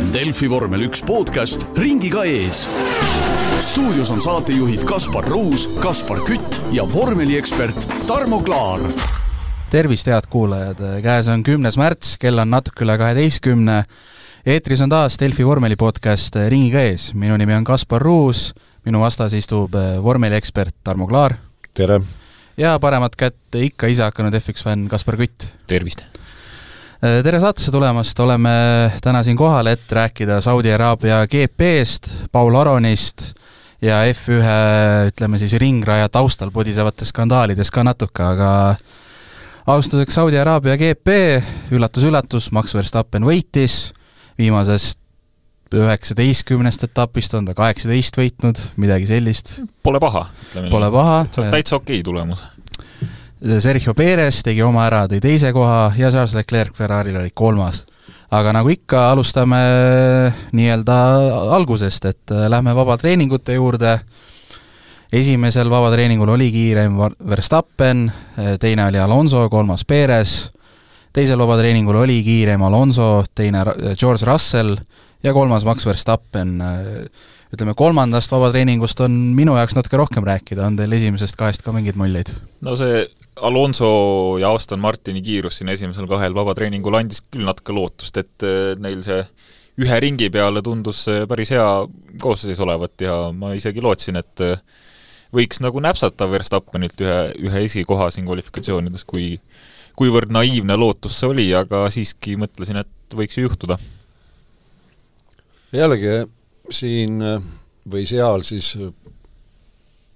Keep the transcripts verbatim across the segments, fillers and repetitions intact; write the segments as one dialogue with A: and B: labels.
A: Delfi vormel üks podcast ringiga ees. Stuudios on saatejuhid Kaspar Ruus, Kaspar Kütt ja vormeliekspert Tarmo Klaar.
B: Tervist, head kuulajad! Käes on kümnes märts, kell on natuke üle kaheteistkümne. Eetris on taas Delfi vormeli podcast ringiga ees. Minu nimi on Kaspar Ruus, minu vastas istub vormeliekspert Tarmo Klaar.
C: Tere!
B: Ja paremat kätte ikka ise hakanud F üks fänn Kaspar Kütt.
D: Tervist!
B: Tere saatesse tulemast, oleme täna siin kohal, et rääkida Saudi Araabia G P-st, Paul Aronist ja F ühe, ütleme siis ringraja taustal podisevatest skandaalidest ka natuke, aga alustuseks Saudi Araabia G P, üllatus-üllatus, Max Verstappen võitis, viimasest üheksateistkümnest etapist on ta kaheksateist võitnud, midagi sellist.
D: Pole paha.
B: Pole paha.
D: See on täitsa okei tulemus.
B: Sergio Perez tegi oma ära, tõi teise koha ja Charles Leclerc Ferraril oli kolmas. Aga nagu ikka, alustame nii-öelda algusest, et lähme vabatreeningute juurde. Esimesel vabatreeningul oli kiirem Verstappen, teine oli Alonso, kolmas Perez. Teisel vabatreeningul oli kiirem Alonso, teine George Russell ja kolmas Max Verstappen. Ütleme, kolmandast vabatreeningust on minu jaoks natuke rohkem rääkida, on teil esimesest kahest ka mingid muljeid?
D: No see Alonso ja Aston Martini kiirus siin esimesel kahel vabatreeningul andis küll natuke lootust, et neil see ühe ringi peale tundus päris hea koosseis olevat ja ma isegi lootsin, et võiks nagu näpsata Verstappenilt ühe, ühe esikoha siin kvalifikatsioonides, kui, kuivõrd naiivne lootus see oli, aga siiski mõtlesin, et võiks ju juhtuda.
C: Jällegi siin või seal siis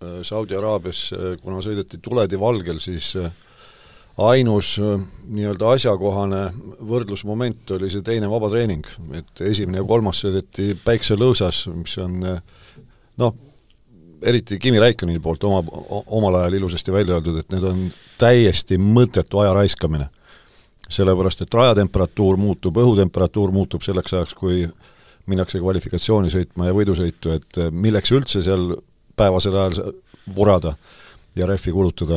C: Saudi Araabias, kuna sõideti tuledi valgel, siis ainus nii-öelda asjakohane võrdlusmoment oli see teine vabatreening, et esimene ja kolmas sõideti päikselõõsas, mis on noh, eriti Kimi Räikköni poolt oma, omal ajal ilusasti välja öeldud, et need on täiesti mõttetu aja raiskamine. Sellepärast, et rajatemperatuur muutub, õhutemperatuur muutub selleks ajaks, kui minnakse kvalifikatsiooni sõitma ja võidusõitu, et milleks üldse seal päevasel ajal vurada ja rehvi kulutada.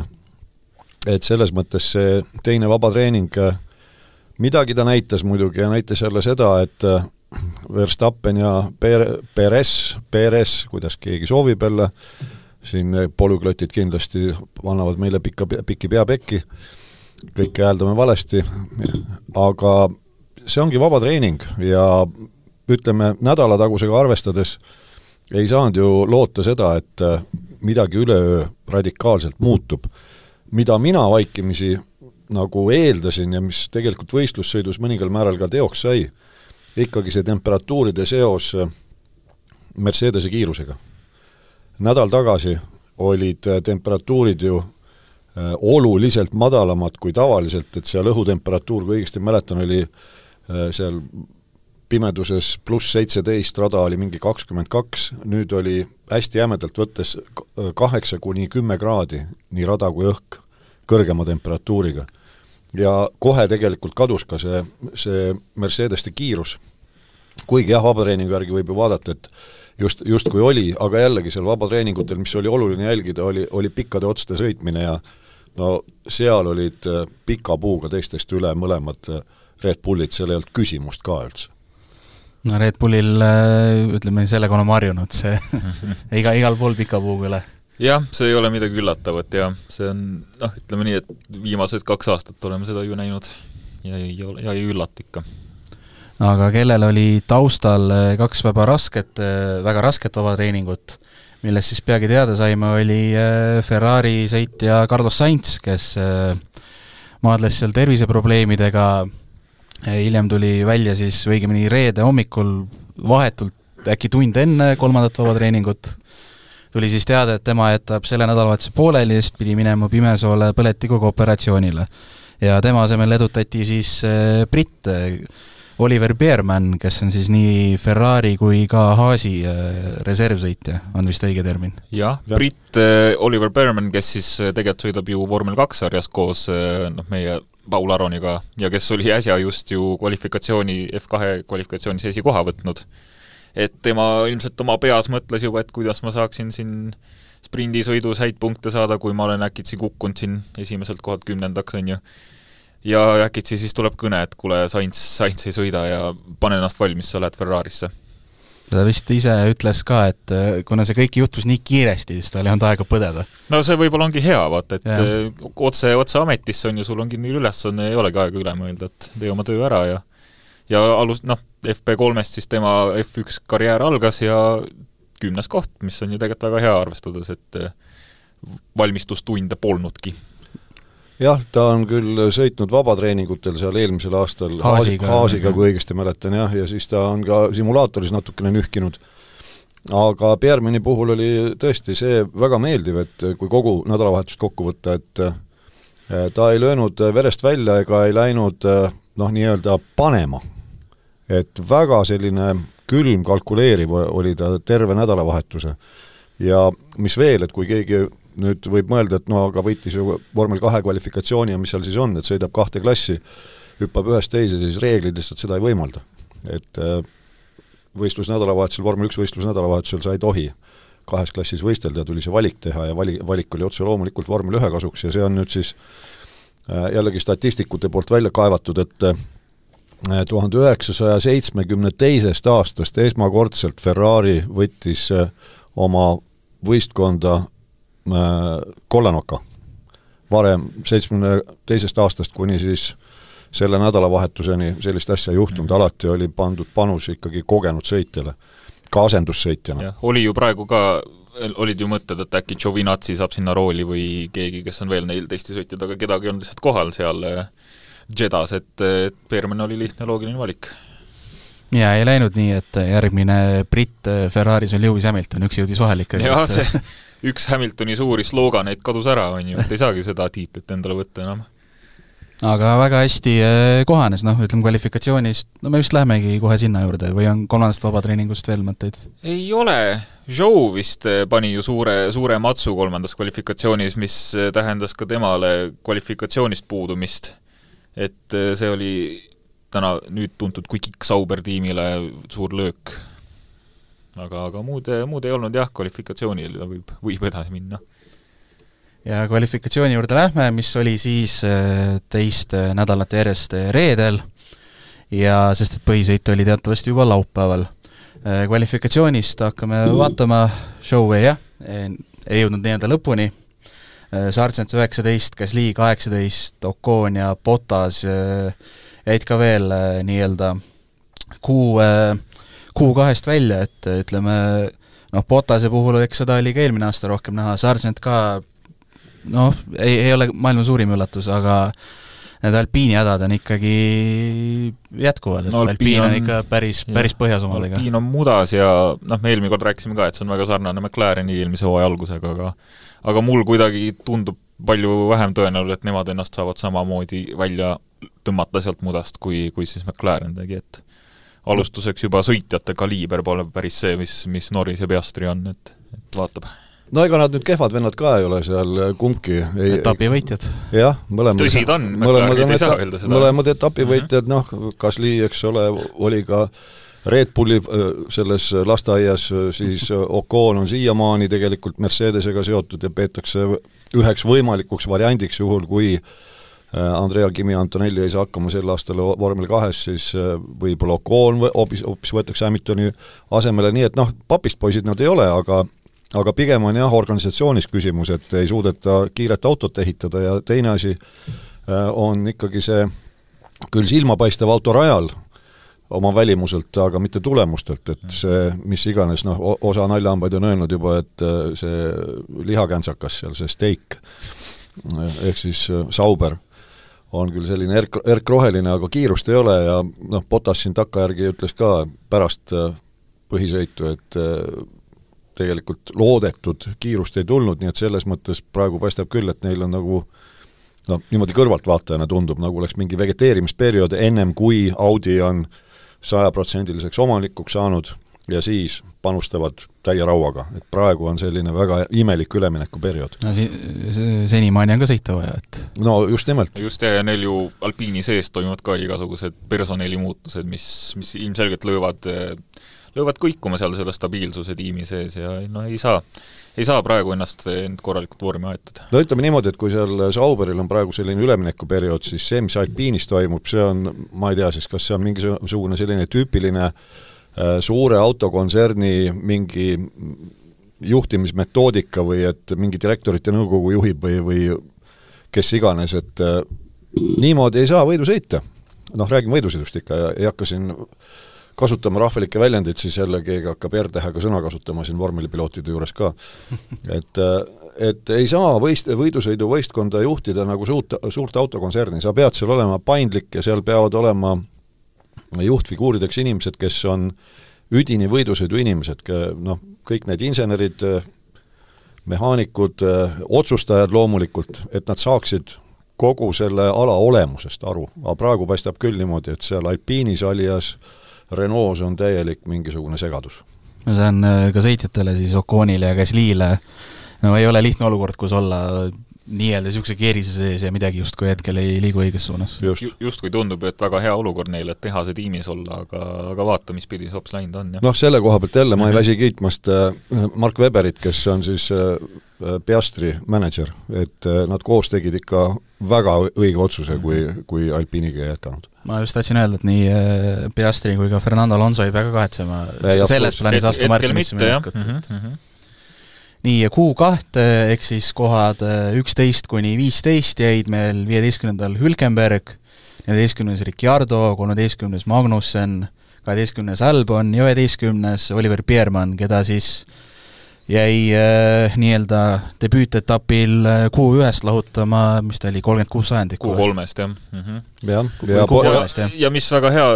C: Et selles mõttes see teine vabatreening, midagi ta näitas muidugi ja näitas jälle seda, et Verstappen ja Perez, Perez, kuidas keegi soovib jälle, siin polüglotid kindlasti annavad meile pikka, pikki peapekki, kõike hääldame valesti, aga see ongi vabatreening ja ütleme, nädalatagusega arvestades ei saanud ju loota seda, et midagi üleöö radikaalselt muutub. Mida mina vaikimisi nagu eeldasin ja mis tegelikult võistlussõidus mõningal määral ka teoks sai, ikkagi see temperatuuride seos Mercedese kiirusega. Nädal tagasi olid temperatuurid ju oluliselt madalamad kui tavaliselt, et seal õhutemperatuur, kui õigesti mäletan, oli seal pimeduses pluss seitseteist, rada oli mingi kakskümmend kaks, nüüd oli hästi jämedalt võttes kaheksa kuni kümme kraadi, nii rada kui õhk, kõrgema temperatuuriga. Ja kohe tegelikult kadus ka see, see Mercedeste kiirus. Kuigi jah, vabatreeningu järgi võib ju vaadata, et just, just kui oli, aga jällegi seal vabatreeningutel, mis oli oluline jälgida, oli, oli pikkade otste sõitmine ja no seal olid pika puuga teistest üle mõlemad Red Bullid, seal ei olnud küsimust ka üldse.
B: No Red Bullil, ütleme, sellega oleme harjunud, see iga, igal pool pika puuga üle.
D: Jah, see ei ole midagi üllatavat ja see on, noh, ütleme nii, et viimased kaks aastat oleme seda ju näinud ja ei, ja ei üllat ikka.
B: Aga kellel oli taustal kaks väga rasket, väga rasket vabatreeningut, millest siis peagi teada saime, oli Ferrari sõitja Carlos Sainz, kes maadles seal terviseprobleemidega. Hiljem tuli välja siis õigemini reede hommikul vahetult äkki tund enne kolmandat vabatreeningut. Tuli siis teada, et tema jätab selle nädalavahetuse pooleli, sest pidi minema Pimesoole põletikuga operatsioonile. Ja tema asemel edutati siis britt Oliver Bearman, kes on siis nii Ferrari kui ka Haasi reservsõitja, on vist õige termin.
D: Jah, britt Oliver Bearman, kes siis tegelikult sõidab ju Vormel kaks sarjas koos noh, meie Paul Aroniga ja kes oli äsja just ju kvalifikatsiooni, F kahe kvalifikatsioonis esikoha võtnud. Et tema ilmselt oma peas mõtles juba, et kuidas ma saaksin siin sprindisõidus häid punkte saada, kui ma olen äkitsi kukkunud siin esimeselt kohalt kümnendaks, on ju. ja äkitsi siis tuleb kõne, et kuule, Sainz, Sainz ei sõida ja pane ennast valmis, sa lähed Ferrarisse.
B: Ta vist ise ütles ka, et kuna see kõik juhtus nii kiiresti, siis ta ei olnud aega põdeda.
D: No see võib-olla ongi hea, vaata, et ja. otse, otse ametisse on ju, sul ongi nii ülesanne, ei olegi aega üle mõelda, et tee oma töö ära ja ja alus, noh, F P kolmest siis tema F üks karjäär algas ja kümnes koht, mis on ju tegelikult väga hea arvestades, et valmistustunde polnudki.
C: Jah, ta on küll sõitnud vabatreeningutel seal eelmisel aastal
B: Haasiga,
C: Haasiga kui õigesti mäletan, jah, ja siis ta on ka simulaatoris natukene nühkinud. Aga Piermini puhul oli tõesti see väga meeldiv, et kui kogu nädalavahetust kokku võtta, et ta ei löönud verest välja ega ei läinud noh, nii-öelda panema. Et väga selline külm kalkuleeriv oli ta terve nädalavahetuse. Ja mis veel, et kui keegi nüüd võib mõelda, et no aga võitis ju vormel kahe kvalifikatsiooni ja mis seal siis on, et sõidab kahte klassi, hüppab ühest teise, siis reeglid lihtsalt seda ei võimalda. Et võistlusnädalavahetusel, vormel üks võistlusnädalavahetusel sa ei tohi kahes klassis võistelda, tuli see valik teha ja vali, valik oli otse loomulikult vormel ühe kasuks ja see on nüüd siis jällegi statistikute poolt välja kaevatud, et tuhande üheksasaja seitsmekümne teisest aastast esmakordselt Ferrari võttis oma võistkonda kollanoka. Varem seitsmekümne teisest aastast kuni siis selle nädalavahetuseni sellist asja juhtunud, alati oli pandud panus ikkagi kogenud sõitjale, ka asendussõitjana.
D: Ja, oli ju praegu ka, olid ju mõtted, et äkki Giovinazzi saab sinna rooli või keegi, kes on veel neil teiste sõitjad, aga kedagi on lihtsalt kohal seal Jeddas, et Pierman oli lihtne loogiline valik.
B: Ja ei läinud nii, et järgmine Britt Ferraris on Lewis Hamilton, üks jõudis vahel ikka.
D: Ja see üks Hamiltoni suuri slooganeid kadus ära, on ju, et ei saagi seda tiitlit endale võtta enam.
B: Aga väga hästi kohanes, noh, ütleme kvalifikatsioonist, no me vist lähemegi kohe sinna juurde, või on kolmandast vabatreeningust veel mõtteid?
D: Ei ole, Joe vist pani ju suure, suure matsu kolmandas kvalifikatsioonis, mis tähendas ka temale kvalifikatsioonist puudumist, et see oli täna nüüd tuntud kui Kick Sauber tiimile suur löök. Aga, aga muud, muud ei olnud jah, kvalifikatsioonil võib, võib edasi minna.
B: Ja kvalifikatsiooni juurde lähme, mis oli siis teist nädalat järjest reedel, ja sest et põhisõit oli teatavasti juba laupäeval. Kvalifikatsioonist hakkame vaatama Showway, jah, ei jõudnud nii-öelda lõpuni. Sargent üheksateist, Gasly kaheksateist, Ocon ja Bottas jäid ka veel nii-öelda kuu, kuu kahest välja, et ütleme, noh, Bottase puhul eks seda oli ka eelmine aasta rohkem näha, Sargent ka noh, ei, ei ole maailma suurim üllatus, aga need Alpiini hädad on ikkagi jätkuvad, et no, Alpiin on, on ikka päris, päris põhjas omadega.
D: Alpiin on mudas ja noh, me eelmine kord rääkisime ka, et see on väga sarnane McLareni eelmise hooaja algusega, aga aga mul kuidagi tundub palju vähem tõenäoline, et nemad ennast saavad samamoodi välja tõmmata sealt mudast, kui, kui siis McLaren tegi, et alustuseks juba sõitjate kaliiber pole päris see, mis, mis Norris ja Piastri on, et, et vaatab.
C: No ega nad nüüd kehvad vennad ka ei ole seal kumki.
B: Etapivõitjad.
C: Jah, mõlemad.
D: Tõsi ta on, McLarenid ei saa öelda seda.
C: Mõlemad etapivõitjad, noh, Gasly, eks ole, oli ka Red Bulli selles lasteaias, siis Ocon on siiamaani tegelikult Mercedesega seotud ja peetakse üheks võimalikuks variandiks juhul, kui Andrea Kimi Antonelli ei saa hakkama sel aastal vormel kahes, siis võib-olla Ocon hoopis, hoopis võetakse Hamiltoni asemele, nii et noh, papist poisid nad ei ole, aga aga pigem on jah organisatsioonis küsimus, et ei suudeta kiiret autot ehitada ja teine asi on ikkagi see küll silmapaistev autorajal oma välimuselt, aga mitte tulemustelt, et see, mis iganes, noh, osa naljaambaid on öelnud juba, et see lihakäntsakas seal, see steak, ehk siis Sauber, on küll selline erk, erkroheline, aga kiirust ei ole ja noh, Bottas siin takkajärgi ütles ka pärast põhisõitu, et tegelikult loodetud kiirust ei tulnud, nii et selles mõttes praegu paistab küll, et neil on nagu no, niimoodi kõrvaltvaatajana tundub, nagu oleks mingi vegeteerimisperiood ennem, kui Audi on sajaprotsendiliseks omanikuks saanud ja siis panustavad täie rauaga. Et praegu on selline väga imelik üleminekuperiood.
B: No, si senimaani on ka sõita vaja, et...
C: No just nimelt.
D: Just ja neil ju Alpiini sees toimuvad ka igasugused personali muutused, mis, mis ilmselgelt löövad löövad kõikuma seal selle stabiilsuse tiimi sees ja no ei saa, ei saa praegu ennast end korralikult vormi aetada.
C: No ütleme niimoodi, et kui seal Sauberil on praegu selline üleminekuperiood, siis see, mis Alpinis toimub, see on, ma ei tea siis, kas see on mingisugune selline tüüpiline äh, suure autokontserni mingi juhtimismetoodika või et mingi direktorite nõukogu juhib või, või kes iganes, et äh, niimoodi ei saa võidu sõita. Noh, räägin võidusõidust ikka ja ei hakka siin kasutama rahvalikke väljendeid, siis jälle keegi hakkab R-tähega sõna kasutama siin vormelipilootide juures ka. Et, et ei saa võist, võidusõidu võistkonda juhtida nagu suurt, suurt autokontserni, sa pead seal olema paindlik ja seal peavad olema juhtfiguurideks inimesed, kes on üdini võidusõidu inimesed, noh, kõik need insenerid, mehaanikud, otsustajad loomulikult, et nad saaksid kogu selle ala olemusest aru. Aga praegu paistab küll niimoodi, et seal Alpinis alias Renault's on täielik mingisugune segadus.
B: See on ka sõitjatele siis Oconile ja Gasly'le, no ei ole lihtne olukord, kus olla nii-öelda niisuguse keerise sees ja midagi just kui hetkel ei liigu õiges suunas.
D: Just, just kui tundub, et väga hea olukord neile, et teha see tiimis olla, aga, aga vaata, mis pidi sops läinud on. Ja.
C: Noh, selle koha pealt jälle ma ei väsi kiitmast Mark Webberit, kes on siis Piastri manager, et nad koos tegid ikka väga õige otsuse, kui, kui Alpiniga jätkanud.
B: Ma just tahtsin öelda, et nii Piastri kui ka Fernando Alonso ei väga kahetsema selles plaanis astu Martinisse minekut. Mm -hmm. Nii, ja kuu kahte, ehk siis kohad üksteist kuni viisteist jäid meil viieteistkümnendal Hülkenberg, neljateistkümnes Ricciardo, kolmeteistkümnes Magnussen, kaheteistkümnes Albon ja üheteistkümnes Oliver Biermann, keda siis jäi äh, nii-öelda debüütetapil kuu ühest lahutama, mis ta oli, kolmkümmend kuus sajandikku.
D: Kuu kolmest, jah. Mm -hmm.
C: ja,
D: ja, ja, ja, ja mis väga hea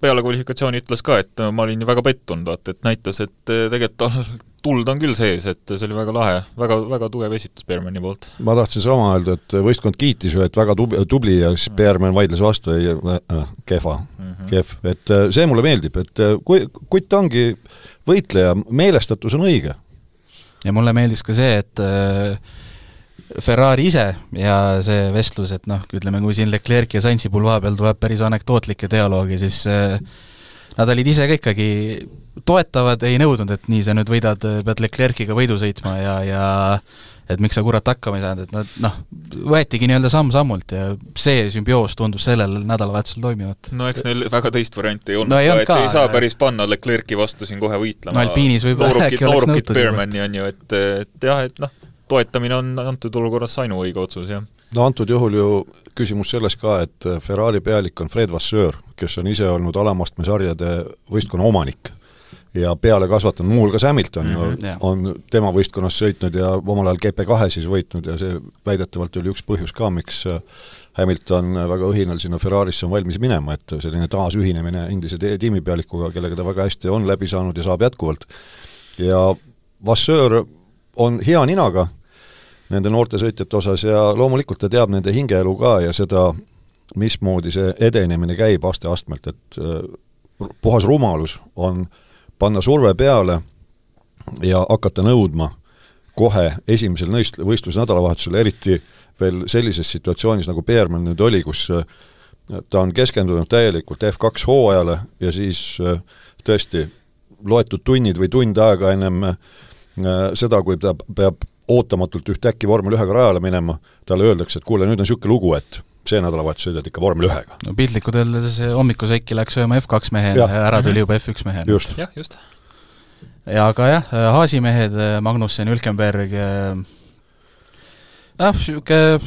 D: peale kvalifikatsiooni ütles ka, et ma olin väga pettunud, vaat, et näitas, et tegelikult tuld on küll sees, et see oli väga lahe, väga, väga tugev esitus Biermanni poolt.
C: Ma tahtsin sama öelda, et võistkond kiitis ju, et väga tubli ja siis Biermann vaidles vastu ja äh, kehva, mm -hmm. kehv. Et see mulle meeldib, et kui, kui ta ongi võitleja, meelestatus on õige.
B: Ja mulle meeldis ka see, et äh, Ferrari ise ja see vestlus, et noh, ütleme, kui siin Leclerc ja Sainzi pulva peal tuleb päris anekdootlikke dialoogi, siis äh, nad olid ise ka ikkagi toetavad, ei nõudnud, et nii sa nüüd võidad, pead Leclerciga võidu sõitma ja, ja et miks sa kurat hakkama ei saanud, et nad noh, võetigi nii-öelda samm-sammult ja see sümbioos tundus sellel nädalavahetusel toimivat.
D: No eks neil väga teist varianti ei olnud no, ei, ka, et ka, ei saa päris panna Leclerci vastu siin kohe võitlema.
B: No Alpinis võib-olla äkki oleks nõutud.
D: Biermanni on ju, et, et jah, et noh, toetamine on antud olukorras ainu õige otsus, jah.
C: No antud juhul ju küsimus selles ka, et Ferrari pealik on Fred Vasseur, kes on ise olnud alamastme sarjade võistkonna omanik ja peale kasvatanud, muu hulgas Hamilton mm -hmm, ja, on tema võistkonnas sõitnud ja omal ajal G P kahe siis võitnud ja see väidetavalt oli üks põhjus ka, miks Hamilton väga õhinal sinna Ferrarisse on valmis minema, et selline taasühinemine endise tiimipealikuga, kellega ta väga hästi on läbi saanud ja saab jätkuvalt. Ja Vasseur on hea ninaga nende noorte sõitjate osas ja loomulikult ta teab nende hingeelu ka ja seda, mismoodi see edenemine käib aste-astmelt, et puhas rumalus on panna surve peale ja hakata nõudma kohe esimesel võistlusnädalavahetusel, eriti veel sellises situatsioonis, nagu Biermann nüüd oli, kus ta on keskendunud täielikult F kaks hooajale ja siis tõesti loetud tunnid või tund aega ennem seda, kui ta peab ootamatult ühtäkki vormel ühega rajale minema, talle öeldakse, et kuule, nüüd on niisugune lugu, et see nädalavahetus sõidad ikka vormel ühega.
B: No piltlikult öeldes hommikusäikki läks sööma F kaks mehe ja ära tuli juba F üks mehe.
C: Just.
D: Jah, just.
B: Ja aga jah, Haasi mehed, Magnussen, Hülkenberg, jah, siuke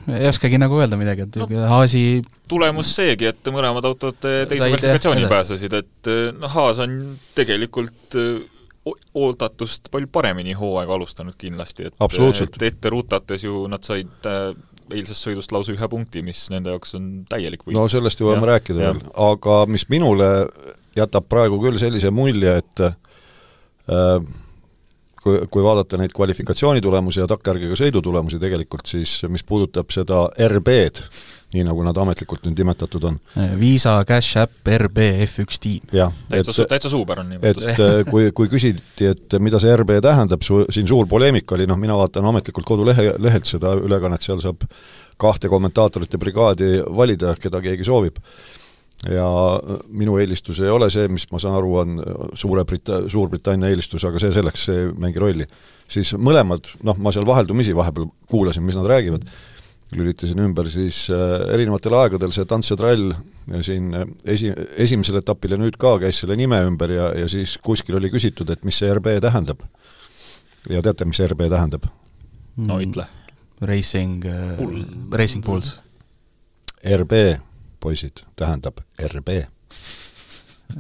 B: ei oskagi nagu öelda midagi, et no, Haasi
D: tulemus seegi, et mõlemad autod teise kvalifikatsiooni pääsesid, et no, Haas on tegelikult oodatust palju paremini hooaega alustanud kindlasti, et, et ette rutates ju nad said eilsest sõidust lausa ühe punkti, mis nende jaoks on täielik võit.
C: No sellest ju võime rääkida veel, aga mis minule jätab praegu küll sellise mulje, et äh, kui, kui vaadata neid kvalifikatsioonitulemusi ja takkärgiga sõidutulemusi tegelikult, siis mis puudutab seda R B-d, nii nagu nad ametlikult nüüd nimetatud on.
B: Visa, Cash App, R B, F üks tiim.
D: Täitsa, täitsa suuber on nimetus.
C: Et kui, kui küsiti, et mida see R B tähendab, su, siin suur poleemik oli, noh, mina vaatan ametlikult kodulehe, lehelt seda ülekannet, seal saab kahte kommentaatorit ja brigaadi valida, keda keegi soovib. ja minu eelistus ei ole see, mis ma saan aru, on Suure Brita-, Suurbritannia eelistus, aga see selleks, see mängi rolli. Siis mõlemad, noh, ma seal vaheldumisi vahepeal kuulasin, mis nad räägivad, lülitasin ümber, siis erinevatel aegadel see Tants ja Trall siin esi, esimesel etapil ja nüüd ka käis selle nime ümber ja, ja siis kuskil oli küsitud, et mis see R B tähendab. Ja teate, mis R B tähendab?
D: No ütle.
B: Racing, Pool. Racing Pools.
C: R B, poisid, tähendab R B.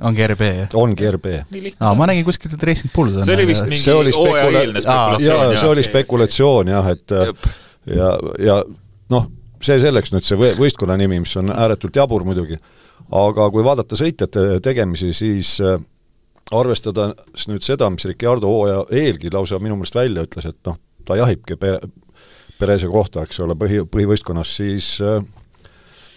B: Ongi R B, jah?
C: Ongi R B.
B: Aa, ma nägin kuskilt, et Racing Pools on.
D: See oli vist mingi hooaja eelne spekulatsioon.
C: Jaa, see oli spekulatsioon, jah, et Jep. ja, ja noh, see selleks nüüd see võistkonna nimi, mis on ääretult jabur muidugi, aga kui vaadata sõitjate tegemisi, siis arvestada nüüd seda, mis Ricciardo hooaja eelgi lausa minu meelest välja ütles, et noh, ta jahibki Perese kohta, eks ole, põhi, põhivõistkonnas, siis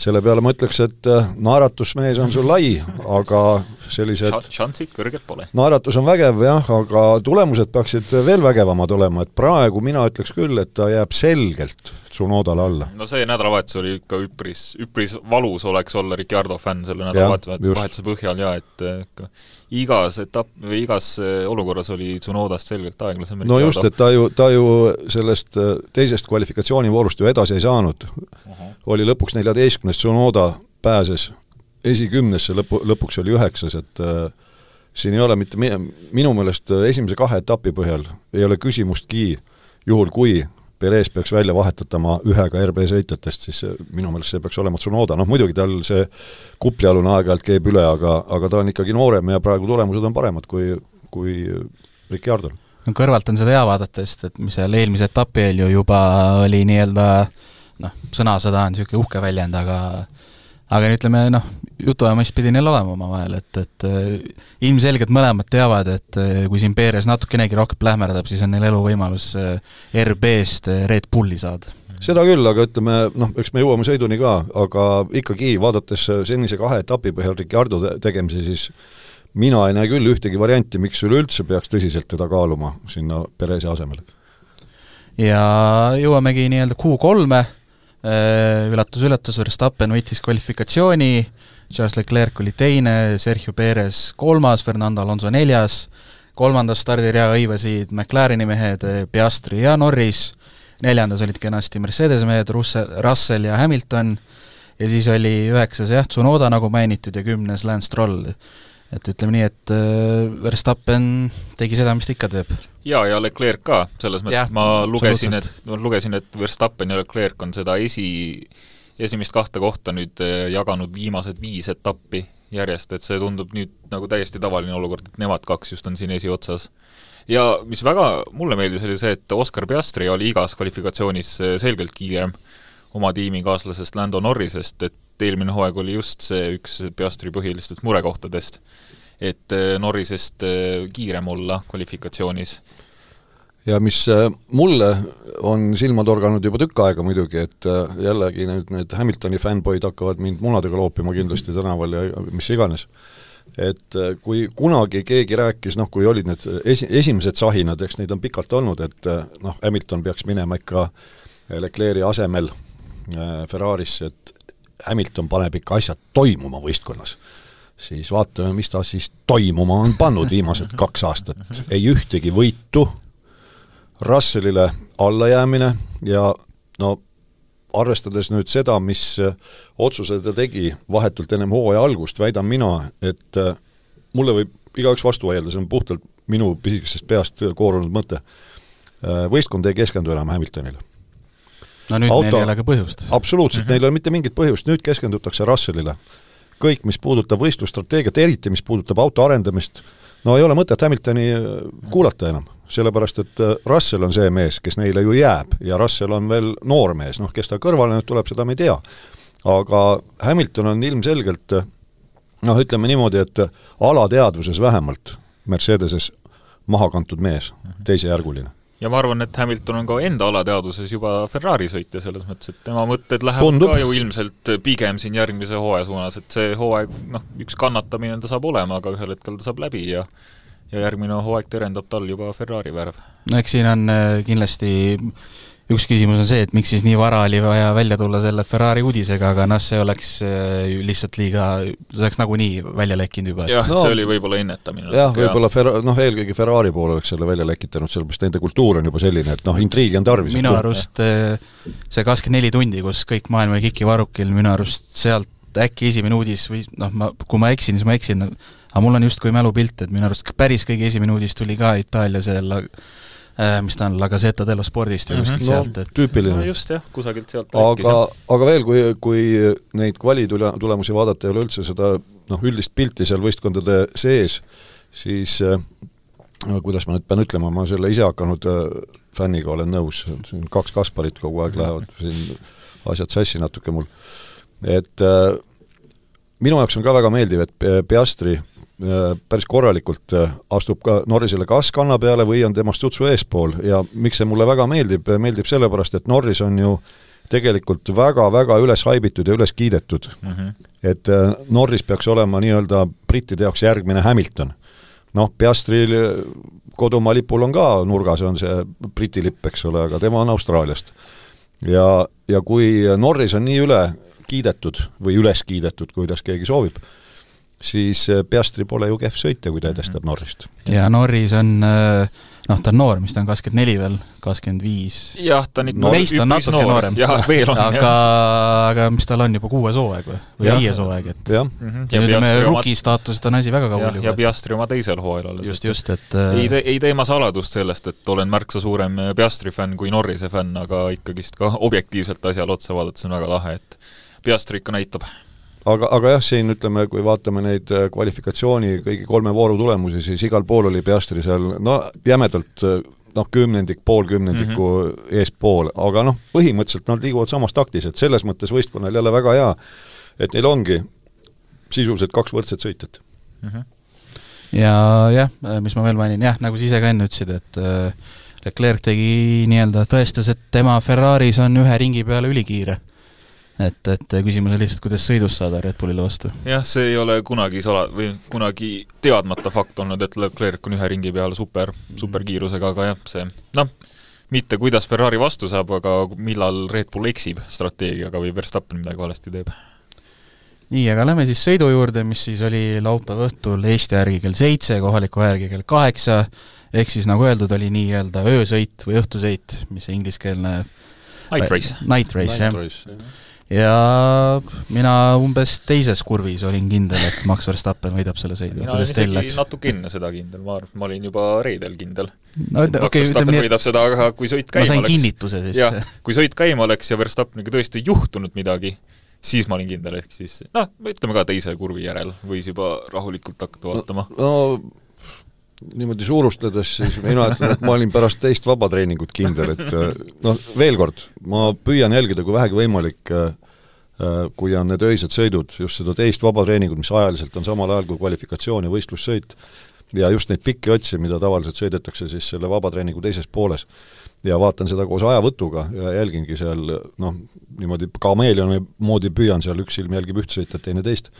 C: selle peale ma ütleks, et naeratusmees on sul lai, aga sellised
D: šansid kõrged pole.
C: Naeratus on vägev, jah, aga tulemused peaksid veel vägevamad olema, et praegu mina ütleks küll, et ta jääb selgelt Tsunodale alla.
D: No see nädalavahetus oli ikka üpris, üpris valus oleks olla Ricciardo fänn selle nädalavahetuse põhjal ja et igas etapp või igas olukorras oli Tsunodast selgelt aeglasem.
C: No just, et ta ju, ta ju sellest teisest kvalifikatsioonivoorust ju edasi ei saanud. Uh-huh. Oli lõpuks neljateistkümnes, Tsunoda pääses esikümnesse, lõpu, lõpuks oli üheksas, et äh, siin ei ole mitte minu meelest esimese kahe etapi põhjal ei ole küsimustki, juhul kui Perez peaks välja vahetatama ühega R B sõitjatest, siis minu meelest see peaks olema Tsunoda. Noh, muidugi tal see kuplialune aeg-ajalt keeb üle, aga, aga ta on ikkagi noorem ja praegu tulemused on paremad kui, kui Ricciardol.
B: No kõrvalt on seda hea vaadata, et mis seal eelmise etapi eel ju juba oli nii-öelda noh, sõnasõda on niisugune uhke väljend, aga aga ütleme, noh, jutuajamist pidi neil olema oma vahel, et, et ilmselgelt mõlemad teavad, et kui siin Perez natukenegi rohkem plähmerdab, siis on neil elu võimalus R B-st Red Bulli saada.
C: Seda küll, aga ütleme, noh, eks me jõuame sõiduni ka, aga ikkagi vaadates senise kahe etapi põhjal Ricciardo tegemisi, siis mina ei näe küll ühtegi varianti, miks üleüldse peaks tõsiselt teda kaaluma sinna Perezi asemele.
B: Ja jõuamegi nii-öelda Q kolme, üllatus-üllatus, Verstappen võitis kvalifikatsiooni, Charles Leclerc oli teine, Sergio Perez kolmas, Fernando Alonso neljas, kolmandas stardirea õivasid McLareni mehed Piastri ja Norris, neljandas olid kenasti Mercedes mehed Russell ja Hamilton ja siis oli üheksas jah, Tsunoda nagu mainitud ja kümnes Lance Stroll. Et ütleme nii, et Verstappen tegi seda, mis ta ikka teeb.
D: Ja, ja Leclerc ka, selles mõttes ma lugesin, et, lugesin, et Verstappen ja Leclerc on seda esi, esimest kahte kohta nüüd jaganud viimased viis etappi järjest, et see tundub nüüd nagu täiesti tavaline olukord, et nemad kaks just on siin esiotsas. Ja mis väga mulle meeldis oli see, et Oscar Piastri oli igas kvalifikatsioonis selgelt kiirem oma tiimikaaslasest Lando Norrisest, et eelmine hooaeg oli just see üks Piastri põhilistest murekohtadest, et Norrisest kiirem olla kvalifikatsioonis.
C: Ja mis mulle on silma torganud juba tükk aega muidugi, et jällegi need, need Hamiltoni fanboyd hakkavad mind munadega loopima kindlasti tänaval ja mis iganes. Et kui kunagi keegi rääkis, noh kui olid need esi, esimesed sahinad, eks neid on pikalt olnud, et noh, Hamilton peaks minema ikka Leclerc'i asemel Ferrarisse, et Hamilton paneb ikka asjad toimuma võistkonnas, siis vaatame, mis ta siis toimuma on pannud viimased kaks aastat. Ei ühtegi võitu, Russellile allajäämine ja no arvestades nüüd seda, mis otsuse ta tegi vahetult ennem hooaja algust, väidan mina, et mulle võib igaüks vastu vaielda, see on puhtalt minu pisikesest peast koorunud mõte. Võistkond ei keskendu enam Hamiltonile.
B: No nüüd Auto, neil ei ole ka põhjust.
C: Absoluutselt, mm-hmm. neil ei ole mitte mingit põhjust, nüüd keskendutakse Russellile. Kõik, mis puudutab võistlusstrateegiat, eriti mis puudutab auto arendamist, no ei ole mõtet Hamiltoni kuulata enam, sellepärast et Russell on see mees, kes neile ju jääb ja Russell on veel noor mees, noh, kes ta kõrvale nüüd tuleb, seda me ei tea. Aga Hamilton on ilmselgelt, noh, ütleme niimoodi, et alateadvuses vähemalt Mercedeses maha kantud mees, teisejärguline.
D: Ja ma arvan, et Hamilton on ka enda alateaduses juba Ferrari sõitja selles mõttes, et tema mõtted lähevad
C: Tundub.
D: ka ju ilmselt pigem siin järgmise hooaja suunas, et see hooaeg, noh, üks kannatamine ta saab olema, aga ühel hetkel ta saab läbi ja ja järgmine hooaeg terendab tal juba Ferrari värv.
B: No eks siin on kindlasti üks küsimus on see, et miks siis nii vara oli vaja välja tulla selle Ferrari uudisega, aga noh, see oleks lihtsalt liiga, see oleks nagunii välja lekkinud juba.
D: jah,
C: no,
D: see oli võib-olla ennetamine.
C: jah, võib-olla Fer- noh, eelkõige Ferrari poole oleks selle välja lekitanud, sellepärast nende kultuur on juba selline, et noh, intriigi on tarvis.
B: Minu arust see kakskümmend neli tundi, kus kõik maailma kiki varukil, minu arust sealt äkki esimene uudis või noh, ma, kui ma eksin, siis ma eksin, aga mul on just kui mälupilt, et minu arust päris kõige esimene uudis tuli ka Itaalia selle mis ta on, La Gazzetta dello Spordist või kuskilt mm -hmm. sealt, et
C: tüüpiline.
D: No just jah, kusagilt sealt
C: aga, aga veel, kui, kui neid kvali tulemusi vaadata ei ole üldse seda noh, üldist pilti seal võistkondade sees, siis no, kuidas ma nüüd pean ütlema, ma selle ise hakanud fänniga olen nõus, siin kaks Kasparit kogu aeg lähevad siin asjad sassi natuke mul, et äh, minu jaoks on ka väga meeldiv, et Piastri päris korralikult astub ka Norrisele kas kanna peale või on temast tutsu eespool ja miks see mulle väga meeldib, meeldib sellepärast, et Norris on ju tegelikult väga-väga üles haibitud ja üles kiidetud. Mm -hmm. Et Norris peaks olema nii-öelda brittide jaoks järgmine Hamilton. Noh, Piastril kodumaa lipul on ka nurgas, on see Briti lipp, eks ole, aga tema on Austraaliast. Ja, ja kui Norris on nii üle kiidetud või üles kiidetud, kuidas keegi soovib, siis Piastri pole ju kehv sõitja, kui ta edestab Norrist.
B: Ja Norris on, noh, ta on noor, mis ta on kakskümmend neli veel, kakskümmend viis.
D: Jah, ta on ikka
B: no, meist on natuke noor. noorem.
D: Ja, veel on,
B: aga, aga mis tal on juba kuues hooaeg või, või viies hooaeg, et
C: ja,
B: mm-hmm. ja, ja nüüd me ruki staatusest on asi väga kaugel.
D: Ja, ja Piastri oma teisel hooajal alles.
B: Just, just, et
D: ei, te, ei teema saladust sellest, et olen märksa suurem Piastri fänn kui Norrise fänn, aga ikkagist ka objektiivselt asjal otsa vaadates on väga lahe, et Piastri ikka näitab.
C: Aga, aga jah, siin ütleme, kui vaatame neid kvalifikatsiooni kõigi kolme vooru tulemusi, siis igal pool oli Piastri seal, no jämedalt noh, kümnendik, pool kümnendiku mm -hmm. eespool, aga noh, põhimõtteliselt nad liiguvad samas taktis, et selles mõttes võistkonnal jälle väga hea, et neil ongi sisuliselt kaks võrdset sõitjat.
B: Mm -hmm. Ja jah, mis ma veel mainin, jah, nagu sa ise ka enne ütlesid, et Leclerc tegi nii-öelda tõestas, et tema Ferraris on ühe ringi peale ülikiire. Et, et küsimus on lihtsalt, kuidas sõidus saada Red Bullile vastu.
D: Jah, see ei ole kunagi sala, või kunagi teadmata fakt olnud, et Leclerc on ühe ringi peal super, superkiirusega, aga jah, see, noh, mitte kuidas Ferrari vastu saab, aga millal Red Bull eksib strateegiaga või Verstappen midagi valesti teeb.
B: Nii, aga lähme siis sõidu juurde, mis siis oli laupäeva õhtul Eesti järgi kell seitse, kohaliku järgi kell kaheksa, ehk siis nagu öeldud, oli nii-öelda öösõit või õhtusõit, mis see ingliskeelne
D: Night race.
B: Night race, jah. Ja mina umbes teises kurvis olin kindel, et Max Verstappen võidab selle sõidu.
D: Mina olin isegi natuke enne seda kindel, ma, ma olin juba reedel kindel.
B: No, Max okay,
D: Verstappen võidab seda, aga kui sõit käima
B: oleks... Ma sain
D: oleks,
B: kinnituse siis.
D: Jah, kui sõit käima oleks ja Verstappeniga tõesti juhtunud midagi, siis ma olin kindel, ehk siis, noh, ütleme ka teise kurvi järel, võis juba rahulikult hakata vaatama.
C: No, no niimoodi suurustades, siis mina ütlen, et ma olin pärast teist vabatreeningut kindel, et noh, veel kord, ma püüan jälgida, kui vähegi võimalik, kui on need öised sõidud, just seda teist vabatreeningut, mis ajaliselt on samal ajal kui kvalifikatsioon ja võistlussõit, ja just neid pikki otsi, mida tavaliselt sõidetakse siis selle vabatreeningu teises pooles. Ja vaatan seda koos ajavõtuga ja jälgingi seal, noh, niimoodi kameelioni moodi püüan seal, üks silm jälgib üht sõita, teine teist.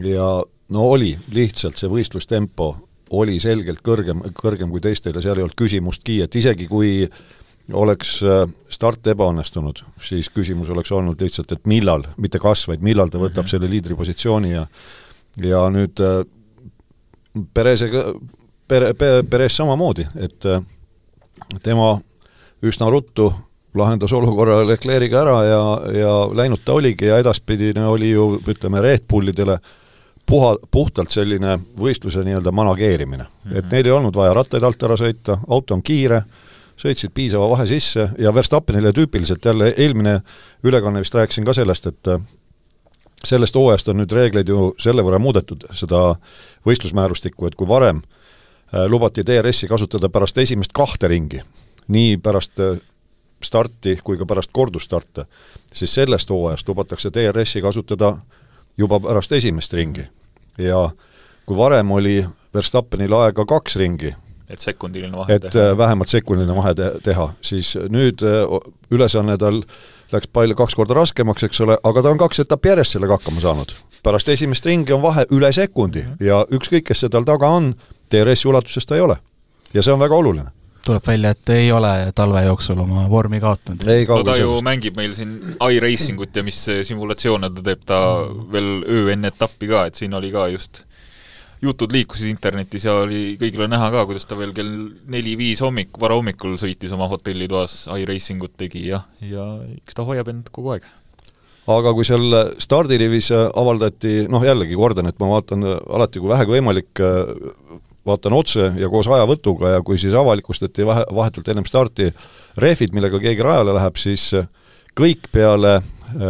C: Ja no oli lihtsalt see võistlustempo oli selgelt kõrgem, kõrgem kui teistel ja seal ei olnud küsimustki, et isegi kui oleks start ebaõnnestunud, siis küsimus oleks olnud lihtsalt, et millal, mitte kas, vaid millal ta võtab mm -hmm. selle liidripositsiooni ja ja nüüd Perezega, Pere, Perez samamoodi, et tema üsna ruttu lahendas olukorra Leclerc'iga ära ja, ja läinud ta oligi ja edaspidine oli ju, ütleme, Red Bullidele puha, puhtalt selline võistluse nii-öelda manageerimine. Mm-hmm. Et neil ei olnud vaja rattaid alt ära sõita, auto on kiire, sõitsid piisava vahe sisse ja Verstappenile tüüpiliselt jälle eelmine ülekanne vist rääkisin ka sellest, et sellest hooajast on nüüd reegleid ju selle võrra muudetud, seda võistlusmäärustikku, et kui varem lubati D R S-i kasutada pärast esimest kahte ringi, nii pärast starti kui ka pärast kordustarte, siis sellest hooajast lubatakse D R S-i kasutada juba pärast esimest ringi. Ja kui varem oli Verstappenil aega kaks ringi,
D: et sekundiline vahe
C: et teha. vähemalt sekundiline vahe teha, siis nüüd ülesanne tal läks palju kaks korda raskemaks, eks ole, aga ta on kaks etappi järjest sellega hakkama saanud. Pärast esimest ringi on vahe üle sekundi mm -hmm. ja ükskõik, kes see tal taga on, D R S-i ulatuses ta ei ole. Ja see on väga oluline.
B: tuleb välja, et ei ole talve jooksul oma vormi kaotanud.
D: No ta ju mängib meil siin iRacingut ja mis simulatsioone ta teeb ta veel öö enne etappi ka, et siin oli ka just jutud liikusid internetis ja oli kõigile näha ka, kuidas ta veel kell neli-viis hommik, vara hommikul sõitis oma hotellitoas iRacingut tegi ja, ja eks ta hoiab end kogu aeg.
C: Aga kui seal stardirivis avaldati, noh jällegi kordan, et ma vaatan alati kui vähegi võimalik, vaatan otse ja koos ajavõtuga ja kui siis avalikustati vahetult ennem starti rehvid, millega keegi rajale läheb, siis kõik peale,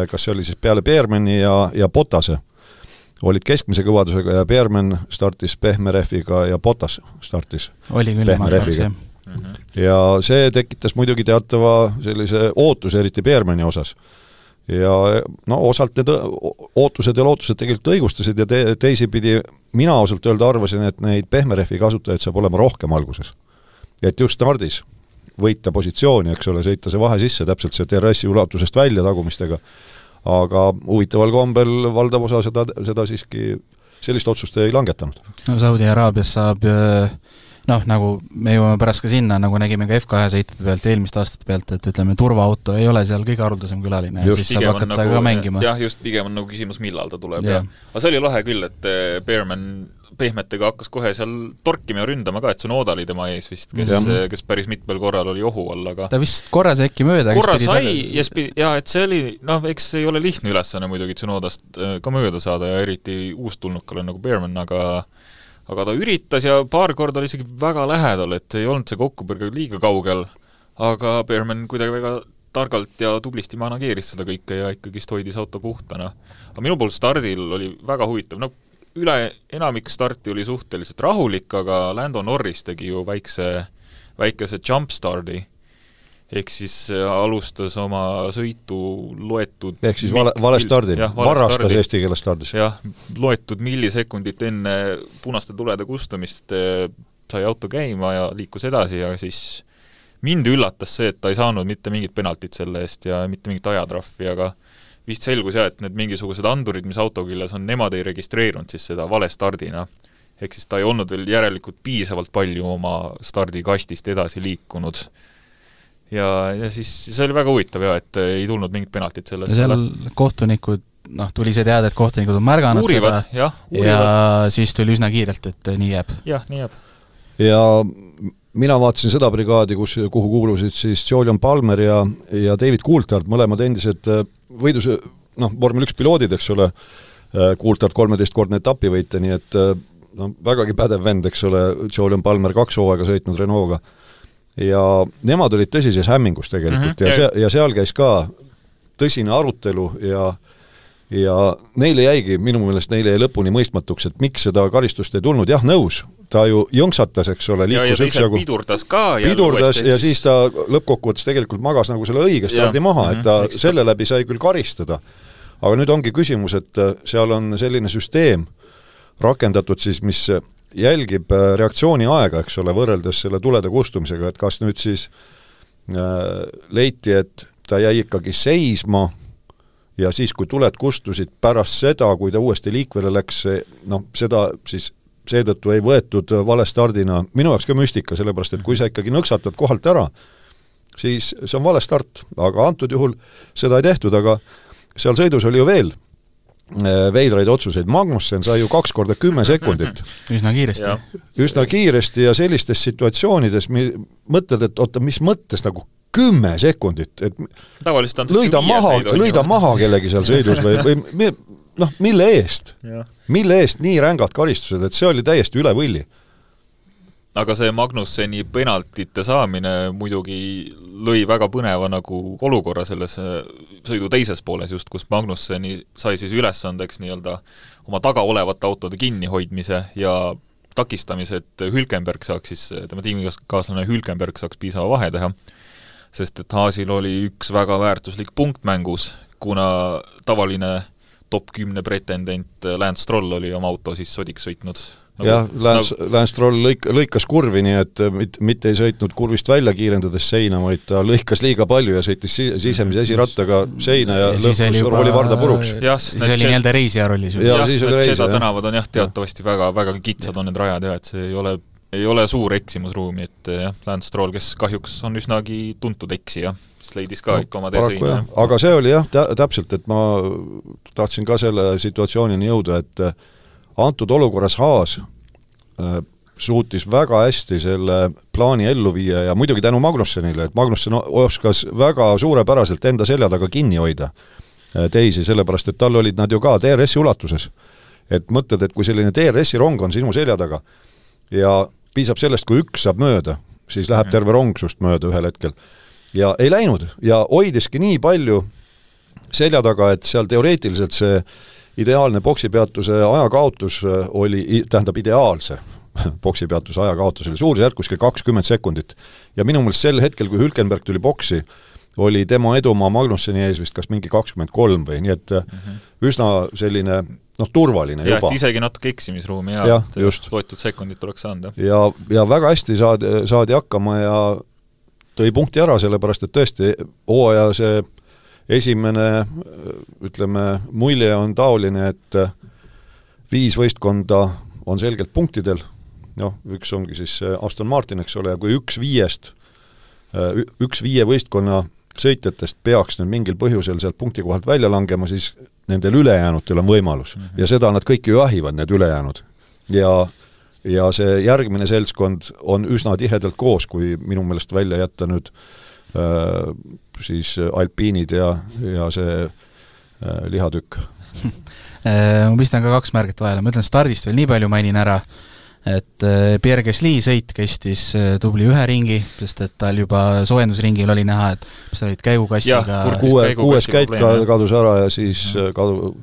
C: kas see oli siis peale Beermani ja, ja Bottase, olid keskmise kõvadusega ja Beerman startis pehme rehviga ja Bottas startis
B: oli küll
C: pehme rehviga. Mm-hmm. Ja see tekitas muidugi teatava sellise ootuse, eriti Beermani osas. Ja no osalt need ootused ja lootused tegelikult õigustasid ja te, teisi pidi mina osalt öelda arvasin, et neid pehme rehvi kasutajaid saab olema rohkem alguses. Ja et just stardis võita positsiooni, eks ole, sõita see vahe sisse täpselt see T R S-i ulatusest välja tagumistega. Aga huvitaval kombel valdav osa seda, seda siiski sellist otsust ei langetanud.
B: No Saudi-Araabias saab, noh, nagu me jõuame pärast ka sinna, nagu nägime ka F kahe sõitade pealt, eelmist aastate pealt, et ütleme, turvaauto ei ole seal kõige haruldasem külaline ja
D: just,
B: siis saab hakata nagu, ka mängima.
D: Jah, just pigem on nagu küsimus, millal ta tuleb. Ja. Aga see oli lahe küll, et Beerman pehmetega hakkas kohe seal torkima ja ründama ka, et see Noda oli tema ees vist, kes, kes päris mitmel korral oli ohu all, aga
B: ta vist korra see äkki mööda
D: korra sai, ja, ja et see oli, noh, eks ei ole lihtne ülesanne muidugi Tsunodast ka mööda saada ja eriti uustulnukale nagu Beerman, aga aga ta üritas ja paar korda oli isegi väga lähedal, et ei olnud see kokkupõrge liiga kaugel, aga Beerman kuidagi väga targalt ja tublisti manageeris seda kõike ja ikkagi hoidis auto puhtana. Aga minu poolt stardil oli väga huvitav, no üle enamik starti oli suhteliselt rahulik, aga Lando Norris tegi ju väikse, väikese jump stardi, ehk siis alustas oma sõitu loetud
C: ehk siis vale, vale stardil, varastas stardi. Eesti keeles stardis.
D: Jah, loetud millisekundit enne punaste tulede kustumist sai auto käima ja liikus edasi ja siis mind üllatas see, et ta ei saanud mitte mingit penaltit selle eest ja mitte mingit ajatrahvi, aga vist selgus jah, et need mingisugused andurid, mis auto küljes on, nemad ei registreerunud siis seda vale stardina. Ehk siis ta ei olnud veel järelikult piisavalt palju oma stardikastist edasi liikunud. Ja, ja siis see oli väga huvitav jah, et ei tulnud mingit penaltit sellest.
B: Ja seal kohtunikud, noh, tuli see teada, et kohtunikud on märganud
D: uurivad,
B: seda
D: jah,
B: ja siis tuli üsna kiirelt, et nii jääb.
D: Jah, nii jääb.
C: Ja mina vaatasin seda brigaadi, kus, kuhu kuulusid siis Julian Palmer ja, ja David Coulthard, mõlemad endised võidus, noh, vormel üks piloodid, eks ole, Coulthard kolmeteistkordne etapivõite, nii et no, vägagi pädev vend, eks ole, Julian Palmer kaks hooaega sõitnud Renault'ga. Ja nemad olid tõsises hämmingus tegelikult mm-hmm. ja, see, ja seal käis ka tõsine arutelu ja ja neile jäigi, minu meelest neile jäi lõpuni mõistmatuks, et miks seda karistust ei tulnud, jah, nõus, ta ju jõnksatas, eks ole, liikus
D: ja, ja üksjagu
C: pidurdas
D: ka
C: pidurdas ja siis ta lõppkokkuvõttes tegelikult magas nagu selle õige stardi maha, et ta mm-hmm. selle läbi sai küll karistada. Aga nüüd ongi küsimus, et seal on selline süsteem rakendatud siis, mis jälgib reaktsiooni aega, eks ole, võrreldes selle tulede kustumisega, et kas nüüd siis äh, leiti, et ta jäi ikkagi seisma ja siis, kui tuled kustusid pärast seda, kui ta uuesti liikvele läks, noh, seda siis seetõttu ei võetud vale stardina. Minu jaoks ka müstika, sellepärast, et kui sa ikkagi nõksatad kohalt ära, siis see on vale start, aga antud juhul seda ei tehtud, aga seal sõidus oli ju veel veidraid otsuseid. Magnussen sai ju kaks korda kümme sekundit.
B: Üsna kiiresti.
C: Ja. Üsna kiiresti ja sellistes situatsioonides mõtled, et oota, mis mõttes nagu kümme sekundit, et lõida maha, lõida maha kellegi seal sõidus või, või noh, mille eest? Mille eest nii rängad karistused, et see oli täiesti üle võlli.
D: Aga see Magnusseni penaltite saamine muidugi lõi väga põneva nagu olukorra selles sõidu teises pooles just, kus Magnusseni sai siis ülesandeks nii-öelda oma taga olevate autode kinnihoidmise ja takistamise, et Hülkenberg saaks siis, tema tiimikaaslane Hülkenberg saaks piisava vahe teha, sest et Haasil oli üks väga väärtuslik punkt mängus, kuna tavaline top kümne pretendent Lance Stroll oli oma auto siis sodiks sõitnud. Nagu,
C: jah, Lance,
D: nagu...
C: Lance Stroll lõik, lõikas kurvi, nii et mit, mitte ei sõitnud kurvist välja kiirendades seina, vaid ta lõikas liiga palju ja sõitis sisemise esirattaga seina ja, ja lõhkus juba... oli varda puruks.
B: Ja, siis oli
C: see...
B: nii-öelda reisija rollis.
D: Ja, ja siis need seda tänavad on jah teatavasti väga, väga kitsad on need rajad ja et see ei ole ei ole suur eksimusruumi, et jah, Lance Stroll, kes kahjuks on üsnagi tuntud eksija, siis leidis ka no, ikka oma teesõina.
C: Aga see oli jah, täpselt, et ma tahtsin ka selle situatsioonini jõuda, et antud olukorras Haas äh, suutis väga hästi selle plaani ellu viia ja muidugi tänu Magnussenile, et Magnussen oskas väga suurepäraselt enda selja taga kinni hoida teisi, sellepärast et tal olid nad ju ka T R S-i ulatuses. Et mõtled, et kui selline T R S-i rong on sinu selja taga ja piisab sellest, kui üks saab mööda, siis läheb terve rong sust mööda ühel hetkel. Ja ei läinud ja hoidiski nii palju selja taga, et seal teoreetiliselt see ideaalne boksipeatuse ajakaotus oli, tähendab ideaalse boksipeatuse ajakaotus oli suurusjärk kuskil kakskümmend sekundit. Ja minu meelest sel hetkel, kui Hülkenberg tuli boksi, oli tema edumaa Magnusseni ees vist kas mingi kakskümmend kolm või, nii et mm-hmm. üsna selline noh, turvaline
D: ja,
C: juba.
D: Ja isegi natuke eksimisruumi ja,
C: ja
D: loetud sekundit tuleks saada.
C: Ja, ja väga hästi saadi, saadi hakkama ja tõi punkti ära, sellepärast et tõesti hooaja see esimene, ütleme, mulje on taoline, et viis võistkonda on selgelt punktidel, noh, üks ongi siis Aston Martin, eks ole, ja kui üks viiest, üks viie võistkonna sõitjatest peaks nüüd mingil põhjusel sealt punkti kohalt välja langema, siis nendel ülejäänutel on võimalus. Mm-hmm. Ja seda nad kõik ju jahivad, need ülejäänud. Ja, ja see järgmine seltskond on üsna tihedalt koos, kui minu meelest välja jätta nüüd äh, siis alpiinid ja, ja see äh, lihatükk.
B: Ma pistan ka kaks märget vahele, ma ütlen stardist veel nii palju mainin ära, et Pierre Gasly sõit kestis tubli ühe ringi, sest et tal juba soojendusringil oli näha, et mis olid käigukastiga
C: kuue, kuues käik kadus ära ja siis kadu,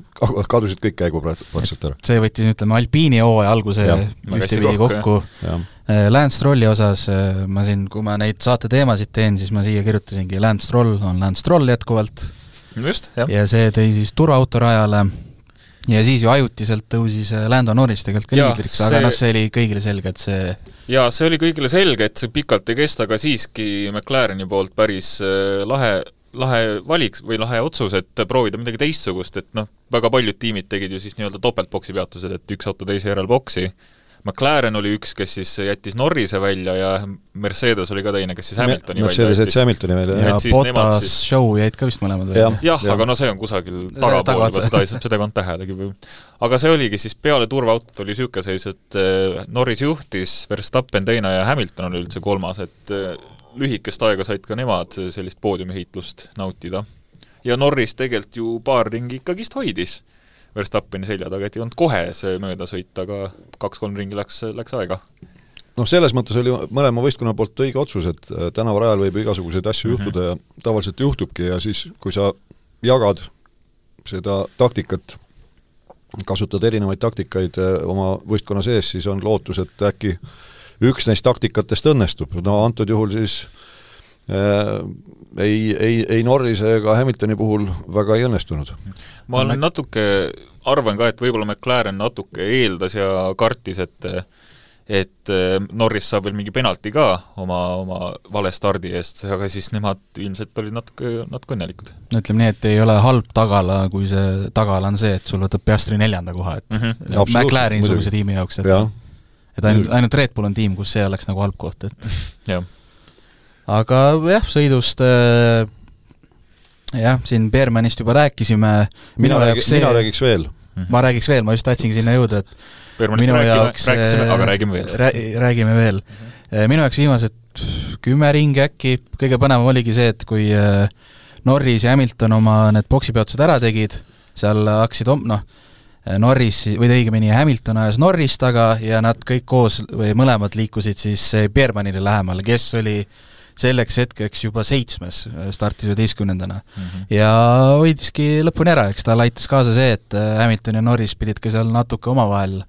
C: kadusid kõik käigupraktiliselt ära.
B: See võttis, ütleme, alpiini hooaja alguse ühtepidi kokku. Lance Strolli osas ma siin, kui ma neid saate teemasid teen, siis ma siia kirjutasingi Lance Stroll on Lance Stroll jätkuvalt.
D: Just, jah.
B: Ja see tõi siis turvaautorajale ja siis ju ajutiselt tõusis Lando Norris tegelikult ka liidriks, aga see... noh, see oli kõigile selge, et see
D: ja see oli kõigile selge, et see pikalt ei kesta, aga siiski McLareni poolt päris lahe, lahe valiks või lahe otsus, et proovida midagi teistsugust, et noh, väga paljud tiimid tegid ju siis nii-öelda topeltboksi peatused, et üks auto teise järel boksi. McLaren oli üks, kes siis jättis Norrise välja ja Mercedes oli ka teine, kes siis Hamiltoni
C: Me,
D: välja
C: jättis. Hamiltoni välja.
B: Ja, ja Bottas siis... show jäid ka vist mõlemad välja.
D: Jah, jah ja. Aga no see on kusagil tagapool, juba seda ei saa, seda kond tähelegi. Aga see oligi siis peale turvaautot oli süüke seis, et Norris juhtis, Verstappen teine ja Hamilton oli üldse kolmas, et lühikest aega said ka nemad sellist poodiumihiitlust nautida. Ja Norris tegelikult ju paar ringi ikkagist hoidis Verstappeni selja taga, et ei olnud kohe see mööda sõita, aga kaks-kolm ringi läks, läks aega.
C: Noh, selles mõttes oli mõlema võistkonna poolt õige otsus, et tänavarajal võib igasuguseid asju mm-hmm. juhtuda ja tavaliselt juhtubki ja siis, kui sa jagad seda taktikat, kasutad erinevaid taktikaid oma võistkonna sees, siis on lootus, et äkki üks neist taktikatest õnnestub. No antud juhul siis äh, ei, ei, ei Norrise ega Hamiltoni puhul väga ei õnnestunud.
D: Ma olen natuke, arvan ka, et võib-olla McLaren natuke eeldas ja kartis, et et Norris saab veel mingi penalti ka oma, oma vale stardi eest, aga siis nemad ilmselt olid natuke, natuke õnnelikud.
B: Ütleme nii, et ei ole halb tagala, kui see tagala on see, et sul võtab Piastri neljanda koha, et mm-hmm. McLareni suguse tiimi jaoks, et, et ainult, ainult Red Bull on tiim, kus see oleks nagu halb koht. Et.
D: jah.
B: Aga jah, sõidust jah, siin Beermanist juba rääkisime.
C: Mina, räägi, see, mina räägiks veel.
B: Ma räägiks veel, ma just tahtsingi sinna jõuda, et
D: Beermanist
B: minu
D: räägime,
B: jaoks,
D: rääkisime, aga räägime veel.
B: Räägime veel. Minu jaoks viimased kümme ringi äkki, kõige põnevam oligi see, et kui Norris ja Hamilton oma need boksipeotused ära tegid, seal hakkasid, noh, Norris, või õigemini Hamilton ajas Norris taga ja nad kõik koos või mõlemad liikusid siis Beermanile lähemale, kes oli selleks hetkeks juba seitsmes, startis üheteistkümnendana. Mm-hmm. Ja hoidiski lõpuni ära, eks ta laitas kaasa see, et Hamilton ja Norris pidid ka seal natuke omavahel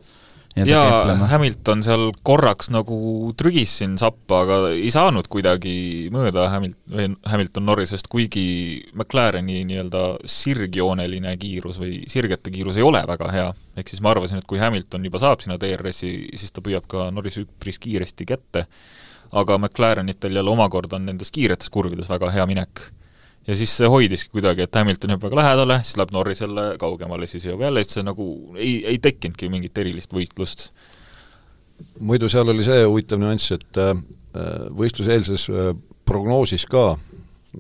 D: ja keplema. Hamilton seal korraks nagu trügis siin sappa, aga ei saanud kuidagi mööda Hamilton, Hamilton Norrisest, kuigi McLareni nii-öelda sirgjooneline kiirus või sirgete kiirus ei ole väga hea. Ehk siis ma arvasin, et kui Hamilton juba saab sinna D R S-i, siis ta püüab ka Norris üpris kiiresti kätte. Aga McLarenitel jälle omakorda on nendes kiiretes kurvides väga hea minek. Ja siis see hoidiski kuidagi, et Hamilton jääb väga lähedale, siis läheb Norrisele kaugemale, siis jõuab jälle, et see nagu ei, ei tekkinudki mingit erilist võitlust.
C: muidu seal oli see huvitav nüanss, et võistluseelses prognoosis ka,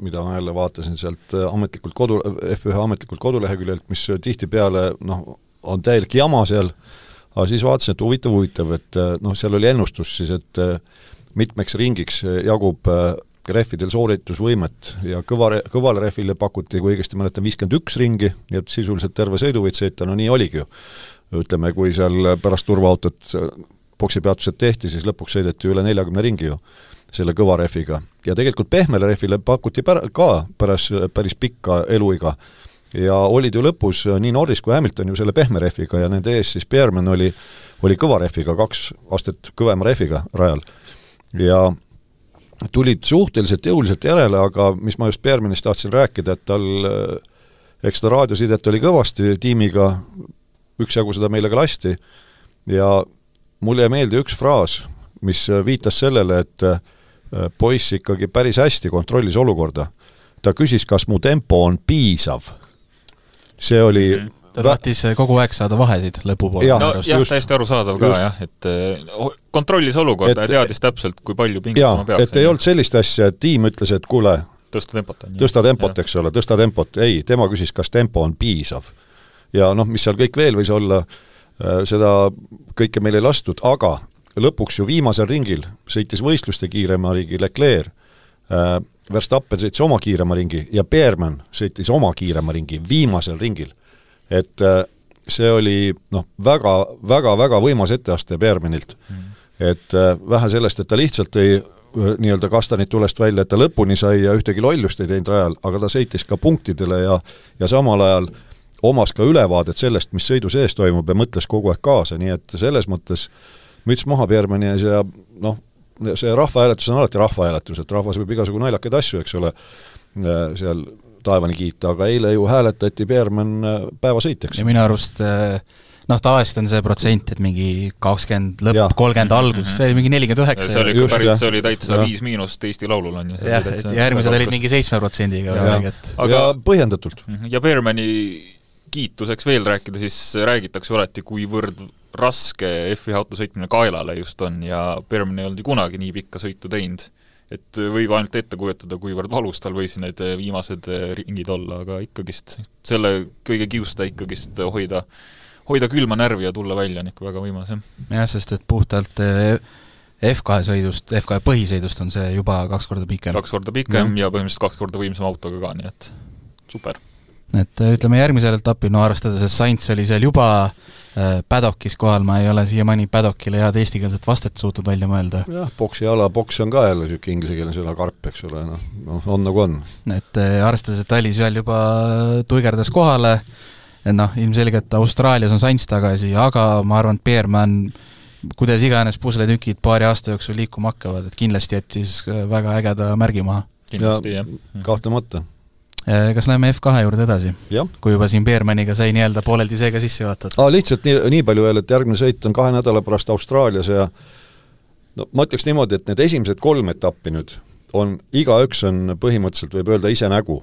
C: mida ma jälle vaatasin sealt ametlikult kodu, F üks ametlikult koduleheküljelt, mis tihtipeale noh, on täielik jama seal, aga siis vaatasin, et huvitav, huvitav, et noh, seal oli ennustus siis, et mitmeks ringiks jagub rehvidel sooritusvõimet ja kõva, kõvale rehvile pakuti, kui õigesti mäletan, viiskümmend üks ringi, nii et sisuliselt terve sõidu võid sõita, no nii oligi ju. Ütleme, kui seal pärast turvaautot boksipeatused tehti, siis lõpuks sõideti üle neljakümne ringi ju selle kõva rehviga. Ja tegelikult pehmele rehvile pakuti pär, ka päris, päris pikka eluiga ja olid ju lõpus nii Norris kui Hamilton ju selle pehme rehviga ja nende ees siis Bearman oli, oli kõva rehviga, kaks astet kõvema rehviga rajal. Ja tulid suhteliselt jõuliselt järele, aga mis ma just Bearmanist tahtsin rääkida, et tal eks ta raadiosidet oli kõvasti tiimiga, üksjagu seda meile ka lasti ja mulle jäi meelde üks fraas, mis viitas sellele, et poiss ikkagi päris hästi kontrollis olukorda. Ta küsis, kas mu tempo on piisav. See oli mm-hmm.
B: Ta tahtis kogu aeg saada vahesid lõpupoole.
D: Ja, no, jah, täiesti arusaadav ka, jah, et kontrollis olukorda et, ja teadis täpselt, kui palju pingutama peaks.
C: Et ei olnud sellist asja, et tiim ütles, et kuule,
D: tõsta tempot,
C: tõsta tempot, eks ole, tõsta tempot. Ei, tema küsis, kas tempo on piisav. Ja noh, mis seal kõik veel võis olla, seda kõike meil ei lastud, aga lõpuks ju viimasel ringil sõitis võistluste kiirema ringi Leclerc, Verstappen sõitis oma kiirema ringi ja Bearman sõitis oma kiirema ringi viimasel ringil. Et see oli noh, väga, väga, väga võimas etteaste Bearmanilt. Mm. Et vähe sellest, et ta lihtsalt ei nii-öelda kastanit tulest välja, et ta lõpuni sai ja ühtegi lollust ei teinud rajal, aga ta sõitis ka punktidele ja, ja samal ajal omas ka ülevaadet sellest, mis sõidu sees toimub ja mõtles kogu aeg kaasa, nii et selles mõttes müts maha Bearmani ees ja noh, see rahvahääletus on alati rahvahääletus, et rahvas võib igasugu naljakaid asju, eks ole, seal taevani kiita, aga eile ju hääletati Bearman päevasõitjaks.
B: Ja minu arust, noh, tavaliselt on see protsent, et mingi kakskümmend lõpp, kolmkümmend algus, see oli mingi nelikümmend üheksa.
D: See oli, just, päris, see oli täitsa viis miinust Eesti laulul on.
B: Ja, ja järgmised olid mingi seitsme protsendiga.
C: Ja, ja põhjendatult.
D: Ja Bearmani kiituseks veel rääkida, siis räägitakse alati, kuivõrd raske F üks auto sõitmine kaelale just on ja Bearman ei olnud kunagi nii pikka sõitu teinud. Et võib ainult ette kujutada, kuivõrd valus tal võisi need viimased ringid olla, aga ikkagist selle kõige kiusta ikkagist hoida, hoida külma närvi ja tulla välja on ikka väga võimas. Jah,
B: jah sest et puhtalt F kahe sõidust, F kahe põhisõidust on see juba kaks korda pikem.
D: Kaks korda pikem ja, ja põhimõtteliselt kaks korda võimsam autoga ka, nii et super.
B: Et ütleme järgmisel etapil, no arvestades, et Sainz oli seal juba Paddockis kohal, ma ei ole siiamaani Paddockile head eestikeelset vastet suutud välja mõelda.
C: Jah, boksi ala, boks on ka jälle süke ingliskeelne sõna karp, eks ole, no, no on nagu on.
B: Et arvestades, et ta oli seal juba tuigerdas kohale, et noh, ilmselgelt Austraalias on Sainz tagasi, aga ma arvan, et Bearman, kuidas iganes pusletükid paari aasta jooksul liikuma hakkavad, et kindlasti jättis väga ägeda märgi maha.
D: Kindlasti,
C: ja, jah. Kahtlemata.
B: Kas läheme F kahe juurde edasi?
C: Ja.
B: Kui juba siin Bearmaniga sai nii-öelda pooleldi seega sisse vaatad?
C: Aa, lihtsalt nii, nii palju veel, et järgmine sõit on kahe nädala pärast Austraalias ja no, ma ütleks niimoodi, et need esimesed kolm etappi nüüd on, igaüks on põhimõtteliselt võib öelda ise nägu.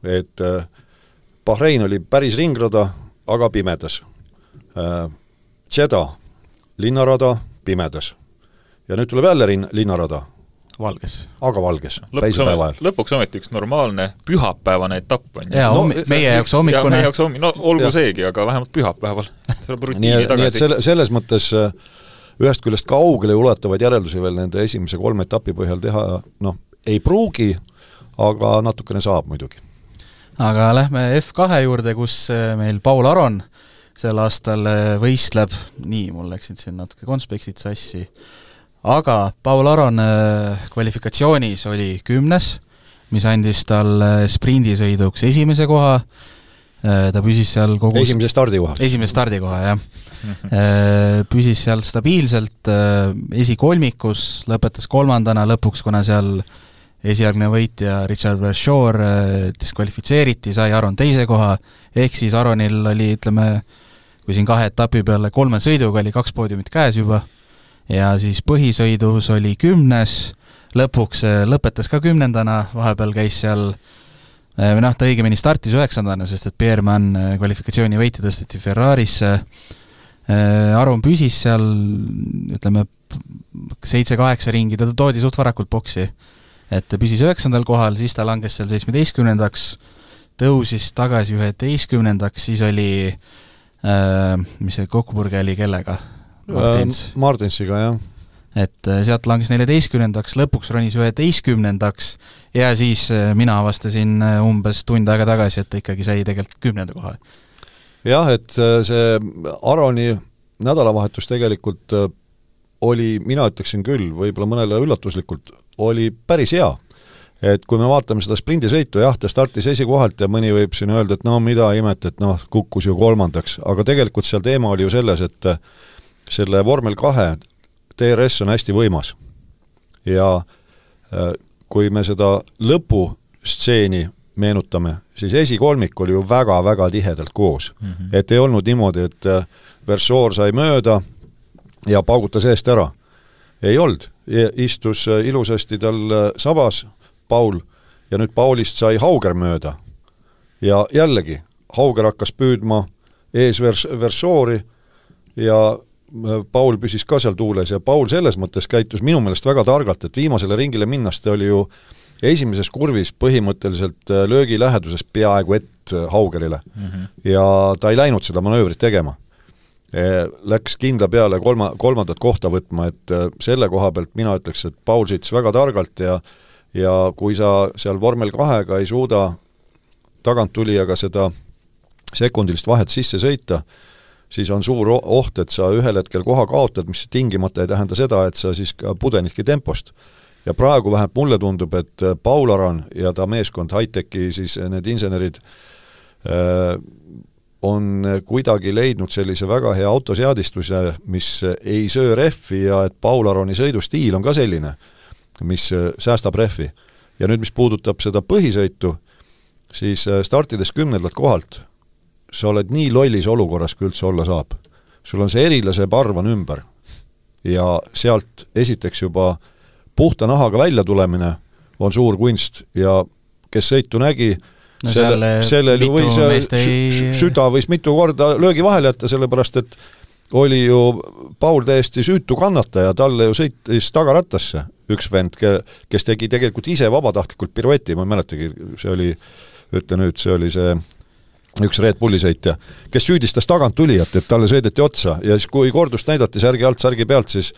C: Et äh, Bahrein oli päris ringrada, aga pimedas. Äh, Jeddah, linnarada, pimedas. Ja nüüd tuleb jälle rin, linnarada.
B: Valges.
C: Aga valges,
D: päisepäeva ajal. Lõpuks ometi üks normaalne pühapäevane etapp on.
B: Ja, no, meie jaoks hommikune.
D: Ja meie jaoks hommikune, no olgu ja. Seegi, aga vähemalt pühapäeval.
C: nii, nii et selle, selles mõttes ühest küljest kaugele ulatavaid järeldusi veel nende esimese kolme etapi põhjal teha, noh, ei pruugi, aga natukene saab muidugi.
B: Aga lähme F kahe juurde, kus meil Paul Aron sel aastal võistleb, nii, mul läksid siin natuke konspektid sassi, aga Paul Aron kvalifikatsioonis oli kümnes, mis andis tal sprindisõiduks esimese koha, ta püsis seal kogu...
C: Esimese stardikoha.
B: Esimese stardikoha, jah. Püsis seal stabiilselt esikolmikus, lõpetas kolmandana lõpuks, kuna seal esialgne võitja Richard Verschoor diskvalifitseeriti, sai Aron teise koha, ehk siis Aronil oli, ütleme, kui siin kahe etapi peale kolme sõiduga oli kaks poodiumit käes juba, ja siis põhisõidus oli kümnes, lõpuks lõpetas ka kümnendana, vahepeal käis seal, või noh, ta õigemini startis üheksandana, sest et Bearman kvalifikatsiooni võiti tõsteti Ferrarisse, Aron püsis seal, ütleme, seitse-kaheksa ringi, ta toodi suht varakult boksi, et ta püsis üheksandal kohal, siis ta langes seal seitsmeteistkümnendaks, tõusis tagasi üheteistkümnendaks, siis oli äh, mis see kokkupurge oli kellega? Martins.
C: Äh, Martinsiga, jah.
B: Et sealt langes neljateistkümnendaks, lõpuks ronis üheteistkümnendaks ja siis mina avastasin umbes tund aega tagasi, et ta ikkagi sai tegelikult kümnenda koha.
C: Jah, et see Aroni nädalavahetus tegelikult oli, mina ütleksin küll, võib-olla mõnele üllatuslikult, oli päris hea. Et kui me vaatame seda sprindisõitu, jah, ta startis esikohalt ja mõni võib siin öelda, et no mida imet, et noh, kukkus ju kolmandaks, aga tegelikult seal teema oli ju selles, et selle vormel kahe T R S on hästi võimas ja kui me seda lõpustseeni meenutame, siis esikolmik oli ju väga-väga tihedalt koos. Mm-hmm. Et ei olnud niimoodi, et Versoor sai mööda ja paugutas eest ära. Ei olnud. Istus ilusasti tal sabas Paul ja nüüd Paulist sai Hauger mööda. Ja jällegi, Hauger hakkas püüdma ees vers- Versoori ja Paul püsis ka seal tuules ja Paul selles mõttes käitus minu meelest väga targalt, et viimasele ringile minnast oli ju esimeses kurvis põhimõtteliselt löögi läheduses peaaegu et Haugerile. Mm-hmm. Ja ta ei läinud seda manöövrit tegema. Läks kindla peale kolma, kolmandat kohta võtma, et selle koha pealt mina ütleks, et Paul sõitis väga targalt ja, ja kui sa seal vormel kahega ei suuda tagant tuli aga seda sekundilist vahet sisse sõita, siis on suur oht, et sa ühel hetkel koha kaotad, mis tingimata ei tähenda seda, et sa siis ka pudenidki tempost. Ja praegu vähemalt mulle tundub, et Paul Aron ja ta meeskond High-Techi, siis need insenerid äh, on kuidagi leidnud sellise väga hea autoseadistuse, mis ei söö rehvi ja et Paul Aroni sõidustiil on ka selline, mis säästab rehvi. Ja nüüd, mis puudutab seda põhisõitu, siis startides kümnendalt kohalt sa oled nii lollis olukorras, kui üldse olla saab. Sul on see erilase parv on ümber ja sealt esiteks juba puhta nahaga välja tulemine on suur kunst ja kes sõitu nägi, no selle, sellel võis ei... süda võis mitu korda löögi vahele jätta, sellepärast et oli ju Paul täiesti süütu kannataja, talle ju sõitis tagarattasse üks vend, kes tegi tegelikult ise vabatahtlikult pirueti, ma ei mäletagi, see oli, ütle nüüd, see oli see üks Red Bulli sõitja, kes süüdistas tagant tulijat, et talle sõideti otsa ja siis kui kordust näidati särgi alt, särgi pealt, siis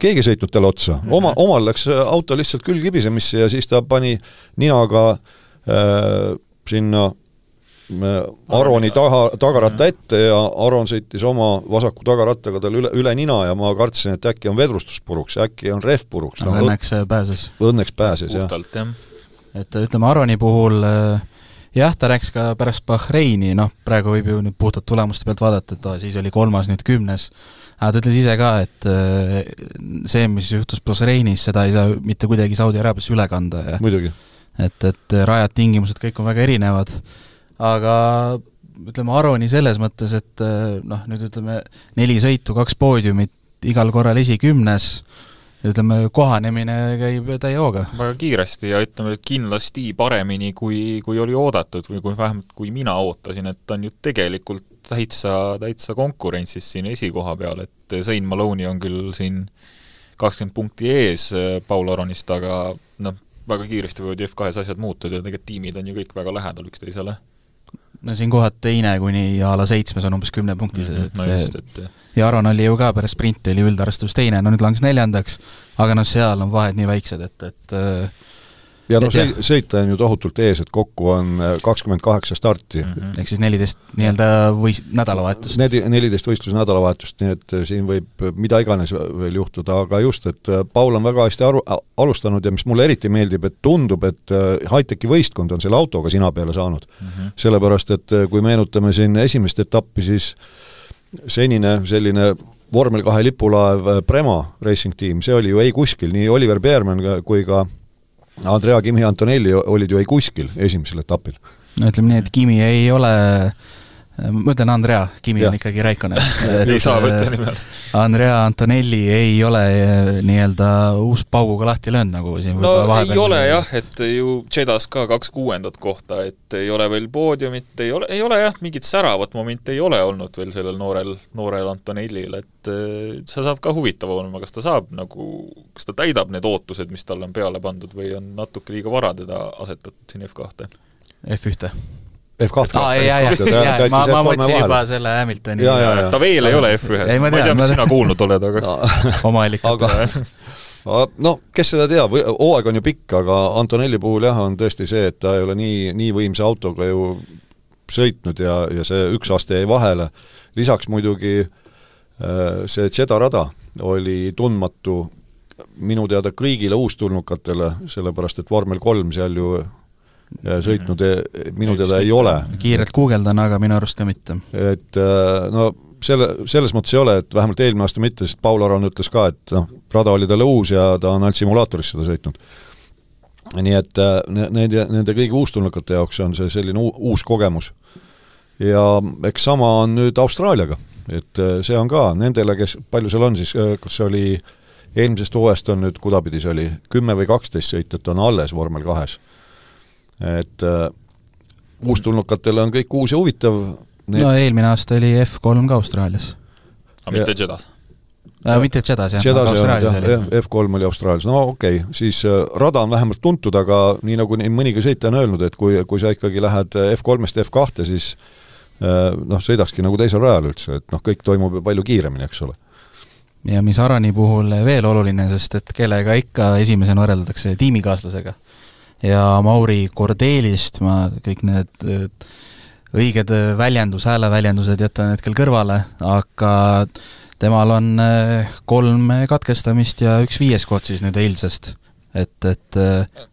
C: keegi sõitnud talle otsa. Oma, omal läks auto lihtsalt küll kibisemisse ja siis ta pani ninaga äh, sinna äh, Aroni taha, tagaratta ette ja Aron sõitis oma vasaku tagarattaga tal üle, üle nina ja ma kartsin, et äkki on vedrustuspuruks, äkki on rehv puruks.
B: No, õnneks pääses.
C: Õnneks pääses, jah.
D: Puhtalt, jah.
B: Et ütleme, Aroni puhul jah, ta rääks ka pärast Bahreini, noh, praegu võib ju nüüd puhtalt tulemuste pealt vaadata, et ta siis oli kolmas, nüüd kümnes. Aga ta ütles ise ka, et see, mis juhtus Bahreinis, seda ei saa mitte kuidagi Saudi Araabiasse üle kanda. Ja
C: muidugi.
B: Et, et rajad tingimused kõik on väga erinevad. Aga ütleme, Aroni selles mõttes, et noh, nüüd ütleme, neli sõitu, kaks poodiumit, igal korral esikümnes, ütleme, kohanemine käib täie hooga.
D: Väga kiiresti ja ütleme, et kindlasti paremini, kui, kui oli oodatud või kui vähemalt kui mina ootasin, et on ju tegelikult täitsa, täitsa konkurentsis siin esikoha peal, et Zayn Maloney on küll siin kakskümmend punkti ees Paul Aronist, aga noh, väga kiiresti võivad F kahes asjad muutuda ja tegelikult tiimid on ju kõik väga lähedal üksteisele.
B: No siin kohad teine kuni a la seitsmes on umbes kümne punktis, et
D: no
B: see,
D: just, et...
B: ja Aron oli ju ka pärast sprinti, oli üldarvestus teine, no nüüd langes neljandaks, aga no seal on vahed nii väiksed, et, et
C: ja no see, sõita on ju tohutult ees, et kokku on kakskümmend kaheksa starti.
B: Mm-hmm. Ehk siis neliteist nii-öelda võis nädalavahetust.
C: neliteist võistlus nädalavahetust, nii et siin võib mida iganes veel juhtuda, aga just, et Paul on väga hästi aru, alustanud ja mis mulle eriti meeldib, et tundub, et High-Techi võistkond on selle autoga sina peale saanud. Mm-hmm. Sellepärast, et kui meenutame siin esimest etappi, siis senine selline vormel kahe lipulaev Prema Racing Team, see oli ju ei kuskil, nii Oliver Beerman kui ka Andrea Kimi Antonelli olid ju ei kuskil esimesel etapil.
B: No ütleme nii, et Kimi ei ole ma ütlen Andrea, Kimi ja. On ikkagi Räikkönen.
D: Ei saa võtta nimel.
B: Andrea Antonelli ei ole nii-öelda uus pauguga lahti löönud, nagu siin
D: no ei ole nii... jah, et ju Jeddas ka kaks kuuendat kohta, et ei ole veel poodiumit, ei ole, ei ole jah, mingit säravat momenti ei ole olnud veel sellel noorel, noorel Antonellil, et see saab ka huvitav olema, kas ta saab nagu, kas ta täidab need ootused, mis talle on peale pandud või on natuke liiga vara teda asetatud siin F kahte?
B: F ühte
C: F kahte
B: ah, jah, jah, jah, ma, ma mõtlesin juba selle Hamiltoni
C: ja, ja, ja.
D: ta veel ei ole F ühes, ma ei tea, mis sina kuulnud oled, aga
C: no.
B: oma allikad
C: no, kes seda teab, hooaeg on ju pikk, aga Antonelli puhul jah, on tõesti see, et ta ei ole nii, nii võimsa autoga ju sõitnud ja, ja see üks aasta jäi vahele, lisaks muidugi see Jedda rada oli tundmatu minu teada kõigile uustulnukatele, sellepärast et vormel kolm seal ju sõitnud minu teada ei ole.
B: Kiirelt guugeldan, aga minu arust ka mitte.
C: Et no selle, selles mõttes ei ole, et vähemalt eelmine aasta mitte, sest Paul Aron ütles ka, et noh, rada oli talle uus ja ta on ainult simulaatoris seda sõitnud. Nii et nende, nende kõigi uustulnukate jaoks on see selline uus kogemus. Ja eks sama on nüüd Austraaliaga, et see on ka nendele, kes palju seal on, siis kas see oli eelmisest hooajast on nüüd kudapidis oli kümme või kaksteist sõitjat on alles vormel kahes. Et uh, uustulnukatele on kõik uus ja huvitav.
B: Need... No eelmine aasta oli F kolm ka Austraalias.
D: Aga mitte Jeddas?
B: Äh, mitte Jeddas, jah.
C: Jeddas Austraalias jah, F kolm oli Austraalias. No okei, okay. Siis uh, rada on vähemalt tuntud, aga nii nagu nii mõnigi sõitja on öelnud, et kui, kui sa ikkagi lähed F kolmest F kahte, siis uh, noh, sõidakski nagu teisel rajal üldse, et noh, kõik toimub palju kiiremini, eks ole.
B: Ja mis Arani puhul veel oluline, sest et kellega ikka esimesena võrreldatakse tiimikaaslasega. Ja Mauri Kordelist ma kõik need õiged väljendus, hääleväljendused jätan hetkel kõrvale, aga temal on kolm katkestamist ja üks viies koht siis nüüd eilsest. Et, et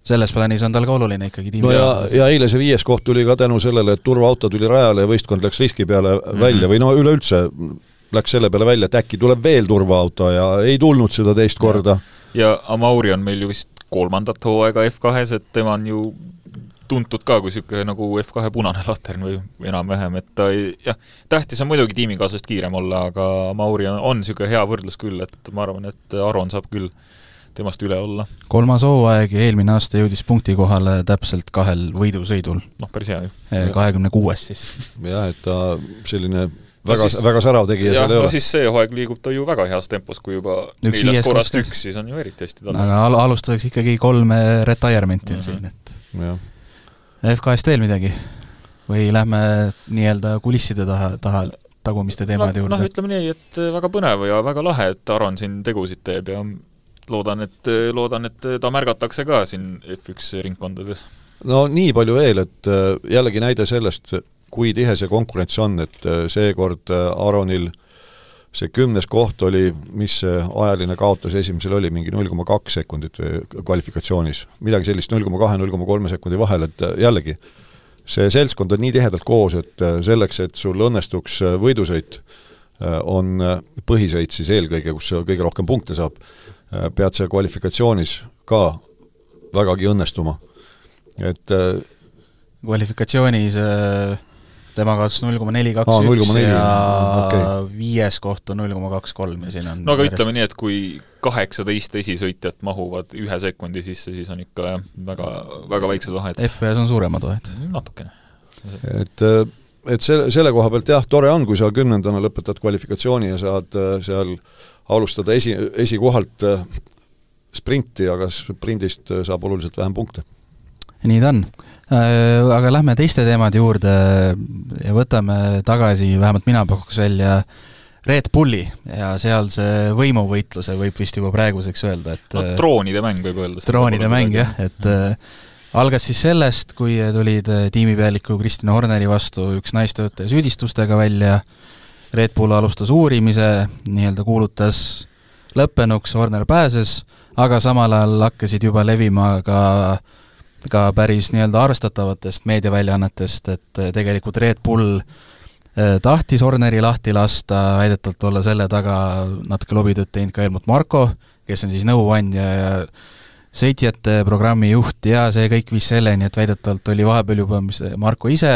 B: selles plaanis on tal ka oluline ikkagi tiimi.
C: No ja, ja eile see viies koht tuli ka tänu sellele, et turvaauto tuli rajale ja võistkond läks riski peale mm-hmm. välja või no üleüldse läks selle peale välja, et äkki tuleb veel turvaauto ja ei tulnud seda teist korda.
D: Ja Amauri on meil ju vist kolmandat hooaega F kahes, et tema on ju tuntud ka kui siuke nagu F kahe punane latern või enam-vähem, et ta ei, jah, tähtis on muidugi tiimikaaslasest kiirem olla, aga Mauri on, on siuke hea võrdlus küll, et ma arvan, et Aron saab küll temast üle olla.
B: Kolmas hooaeg ja eelmine aasta jõudis punkti kohale täpselt kahel võidusõidul.
D: Noh, päris hea ju.
B: kahekümne kuues siis.
C: Jah, et ta selline väga, siis, väga särav tegi ja, ja seal ei
D: no
C: ole.
D: Siis see hooaeg liigub ta ju väga heas tempos, kui juba neljast korrast üks, siis on ju eriti hästi tal.
B: Aga al alustuseks ikkagi kolme retirement'i mm -hmm. siin, et
C: ja.
B: F kahest veel midagi? Või lähme nii-öelda kulisside taha, taha tagumiste teemade
D: no,
B: juurde?
D: Noh, ütleme nii, et väga põnev ja väga lahe, et Aron siin tegusid teeb ja loodan, et, loodan, et ta märgatakse ka siin F üks ringkondades.
C: No nii palju veel, et jällegi näide sellest, kui tihe see konkurents on, et seekord Aronil see kümnes koht oli, mis ajaline kaotus esimesel oli, mingi null koma kaks sekundit kvalifikatsioonis. Midagi sellist null koma kahe null koma kolme sekundi vahel, et jällegi see seltskond on nii tihedalt koos, et selleks, et sul õnnestuks võidusõit, on põhisõit siis eelkõige, kus kõige rohkem punkte saab, pead see kvalifikatsioonis ka vägagi õnnestuma. Et
B: kvalifikatsioonis tema kaotas null koma neli kaks üks ja okay. Viies koht on null koma kaks kolm ja siin on
D: no aga järjest... ütleme nii, et kui kaheksateist esisõitjat mahuvad ühe sekundi sisse, siis on ikka jah, väga, väga väiksed vahed.
B: F ühes on suuremad vahed.
D: Natukene.
C: Et, et selle, selle koha pealt jah, tore on, kui sa kümnendana lõpetad kvalifikatsiooni ja saad seal alustada esi, esikohalt sprinti, aga sprindist saab oluliselt vähem punkte.
B: Nii ta on. Aga lähme teiste teemade juurde ja võtame tagasi, vähemalt mina pakuks välja Red Bulli ja seal see võimuvõitluse võib vist juba praeguseks öelda, et
D: no, troonide mäng võib öelda.
B: Troonide mäng, jah, et mm. algas siis sellest, kui tulid tiimipealiku Kristina Horneri vastu üks naistöötaja süüdistustega välja, Red Bull alustas uurimise, nii-öelda kuulutas lõppenuks, Horner pääses, aga samal ajal hakkasid juba levima ka ka päris nii-öelda arvestatavatest meediaväljaannetest, et tegelikult Red Bull tahtis Horneri lahti lasta, väidetavalt olla selle taga natuke lobitööd teinud ka Helmut Marko, kes on siis nõuandja ja sõitjate programmi juht ja see kõik viis selleni, et väidetavalt oli vahepeal juba mis Marko ise